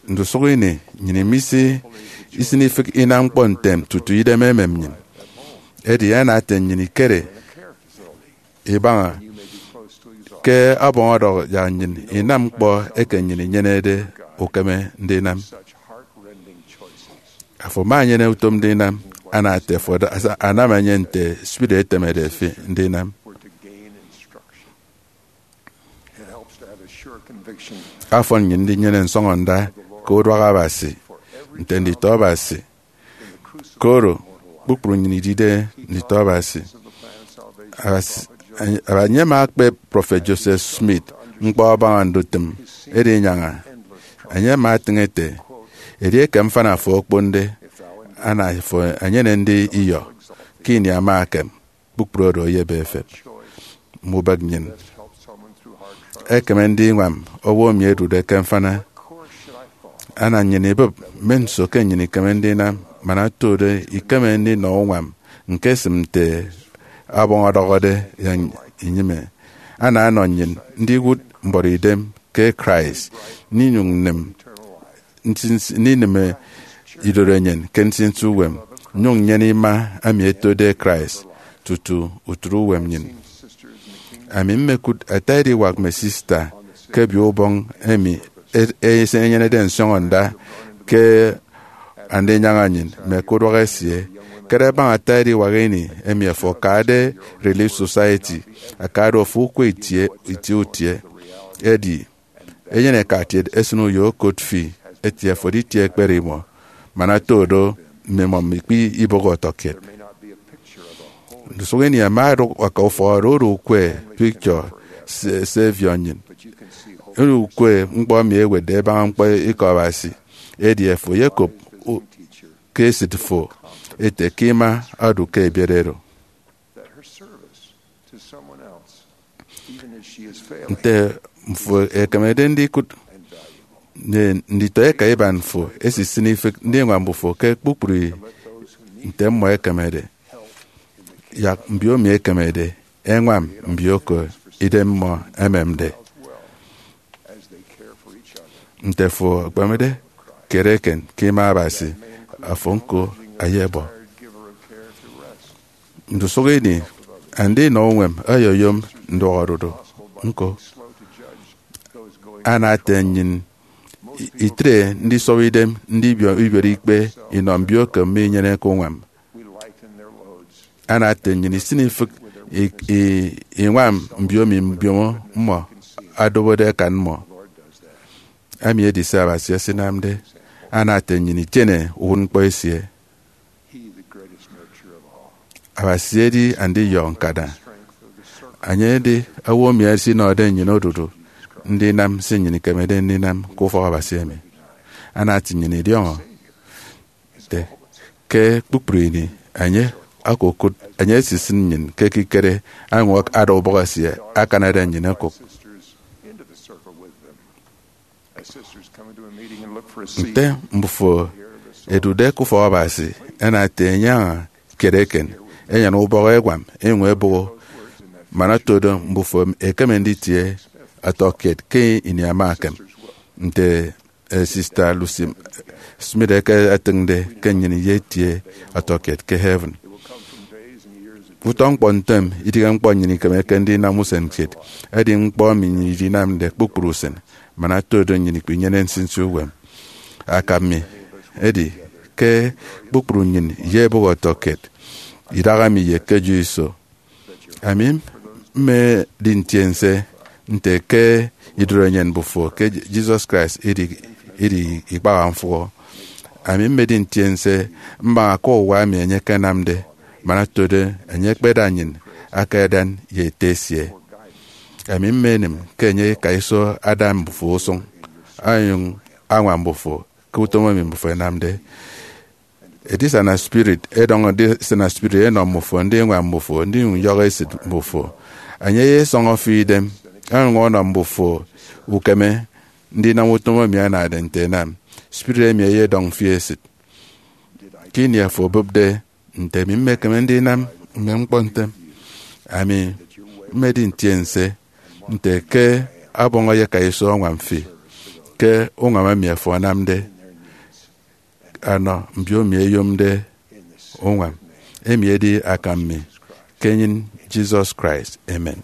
Ndusụk ini, nnyịn imisi isịn ifịk inam ñkpọ ntem tutu idem emem nnyịn. Edi ana ete nnyịn ikere ibaña ke Ọbọñ ọdọhọ yak nnyịn inam ñkpọ eke nnyịn inyenede ukeme ndinam. Afo ama enyene utom ndinam, ana ete afo ada- asa- anam enye nte spirit etemede fi ndinam. Afọn nnyịn ndinyene nsọñọnda ke uduak Abasi nte nditọ Abasi. Koro kpukpru nnyịn idide nditọ Abasi. Abasi, enye ama akpep Prọfet Joseph Smith ñkpọ abaña ndutịm edinyaña. Enye ama atịñ ete, edieke mfana fo okponde, ana fo enyene ndi iyọ ke ini ama ekem, kpukpru oro eyebe efep. Mme ubak nnyịn ẹkeme ndiñwam owo emi edude ke mfana. Ana nnyịn ibụp mme nso ke nnyịn ikeme ndinam, man oto do ikeme ndinọ uñwam ñkesịm nte Ọbọñ ọdọhọde yak inyịme. Ana anọ nnyịn ndiwụt mbuọtidem ke Christ, ndinyụñ nnịm nsinsi- ndinịm idorenyin ke nsinsi uwem, nnyụñ nnyene ima emi etode Christ tutu utịt uwem nnyịn. Ami mmekụt ata ediwak mme sista ke Obio Ubọñ emi e- e- enyenede nsọñọnda ke andinyaña nnyịn mme ke uduak esie. Kere baña ata ediwak ini emi afo akade Relief Society, aka do afo ukwe itie itie utie. Edi enyene eka kiet esịn uyo okot fi eti afo editie ekpere imọ, man oto do mmimọ mikpe ibụk ọtọkiet. Ndusụk ini ama odụk aka ufọk oro odu ukwe picture se- Savior nnyịn, oro ukwe ñkpọ emi ewetde ebaña ñkpọ ikọ Abasi. Edi afo eyekop u- ke esịt fo ete ke ima odu ke ebiet oro. Nte mfo ekemede ndikụt ne nditọ eka iban fo esisịn ifịk ndiñwam mbufo ke kpukpru nte mmọ ekemede, yak mbio emi ekemede ẹñwam mbio ke idem mmọ ẹmemde. Nte fo ekpemede, kiet eken ke ima Abasi, afo ñko ayebọ. Ndusụk ini, andinọ uñwam oyoyom nduọk odudu ñko. Ana ete nnyịn itre ndisọbọ idem ndibiot ikpe inọ mbio eke minyeneke uñwam. Ana ete nnyịn isịn ifịk i- i- iñwam mbio emi mbiomo mmọ adobode akan mmọ. Emi edi se Abasi esinamde. Ana ete nnyịn itiene uwụtñkpọ esie. Abasi edi andiyọ ñkada. Enye edi owo emi esinọde nnyịn odudu ndinam se nnyịn ikemede ndinam ke ufọk Abasi emi. Ana ete nnyịn idiọñọ nte ke kpukpru ini enye okokụt, enye esisịn nnyịn ke ekikere añwọk ada ubọk esie akanade nnyịn okụk. Nte mbufo ẹdude ke ufọk Abasi, ẹna ete enyaña kiet eken, ẹnyene ubọk ẹñwam enyịñ ẹbụgho, man oto do mbufo ẹkeme nditie ọtọkiet ke ini ama ekem. nte, eh, Sista Lucy Smith eke etịñde ke nnyịn ye etie ọtọkiet ke heaven. Utọ ñkpọ ntem idịghe ñkpọ nnyịn ikemeke ndinam usen kiet. Edi ñkpọ emi nnyịn idinamde kpukpru usen, man otodo nnyịn ikpinyene nsinsi uwem. Akam mi edi ke kpukpru nnyịn ye ebọk ọtọkiet idaha mi ye ke edu iso. Ami mmedi ntiense nte ke idorenyin mbufo ke Jesus Christ idi, idi ikpaha mfụhọ. Ami mmedi ntiense mbaña ke uwa emi enye ekenamde, man otodo enye ekpeda nnyịn aka edan ye Ete esie. Ami mmenim ke enye eka iso ada mbufo usụñ, onyụñ añwam mbufo ke utom emi mbufo ẹnamde. Edisana spirit, edọñ edisana spirit enọ mbufo, ndiñwam mbufo, ndinyụñ nyọhọ esịt mbufo. Enye eyesọñọ fi idem, onyụñ ọnọ mbufo ukeme ndinam utom emi anade nte ẹnam. Spirit emi eyedọñ fi esịt. Ke ini afo obụpde nte emi mmekeme ndinam mme ñkpọ ntem, ami mmedi ntiense nte ke ọbọñ eyeka iso ọñwam fi ke uñwam emi afo anamde, anọ mbiomi ẹyomde uñwam. Emi edi akam mi ke enyịn Jesus Christ. Amen.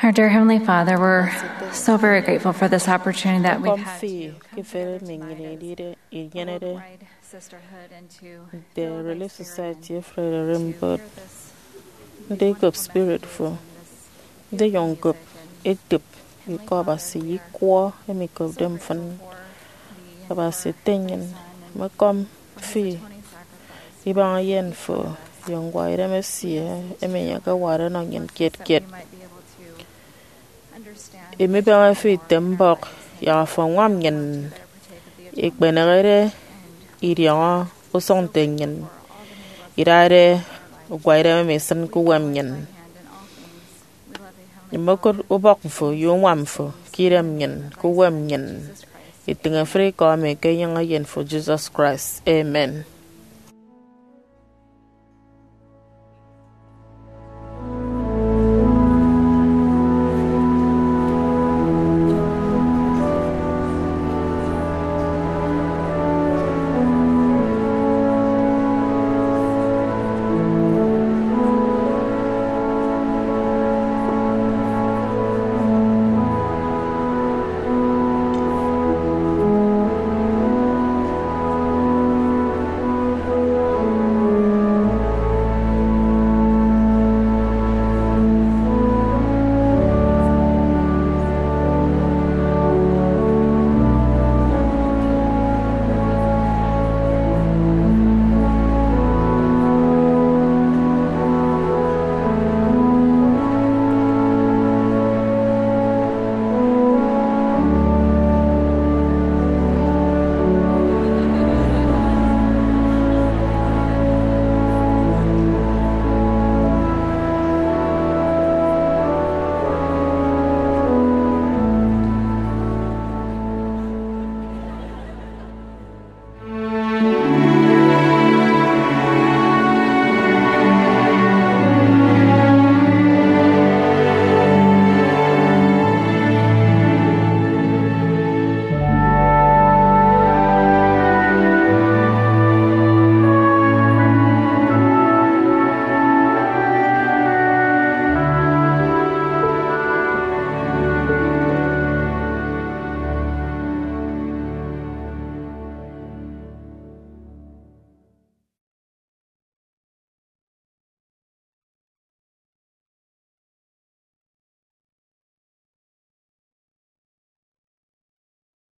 Our dear Heavenly Father, we're so very grateful for this opportunity that we've had to come together as a worldwide sisterhood and to build a spirit, to share this Ndikop spirit fo, ndiyọñ nkop etop ikọ Abasi ye ikwọ emi ikopde mfịn. Abasi ete nnyịn, mekọm fi ibaña eyen fo ye ñkpọ idem esie emi enye akawade ọnọ nnyịn kiet kiet. Imibaña fi ite mbọk, yak afo añwam nnyịn ikpenehede idiọñọ usụñ nte nnyịn idade ukwaidem emi isịn ke uwem nnyịn. Mmokụt ubọk mfo ye uñwam fo ke idem nnyịn ke uwem nnyịn. Itịñ efịt ikọ emi ke enyịñ eyen fo Jesus Christ. Amen.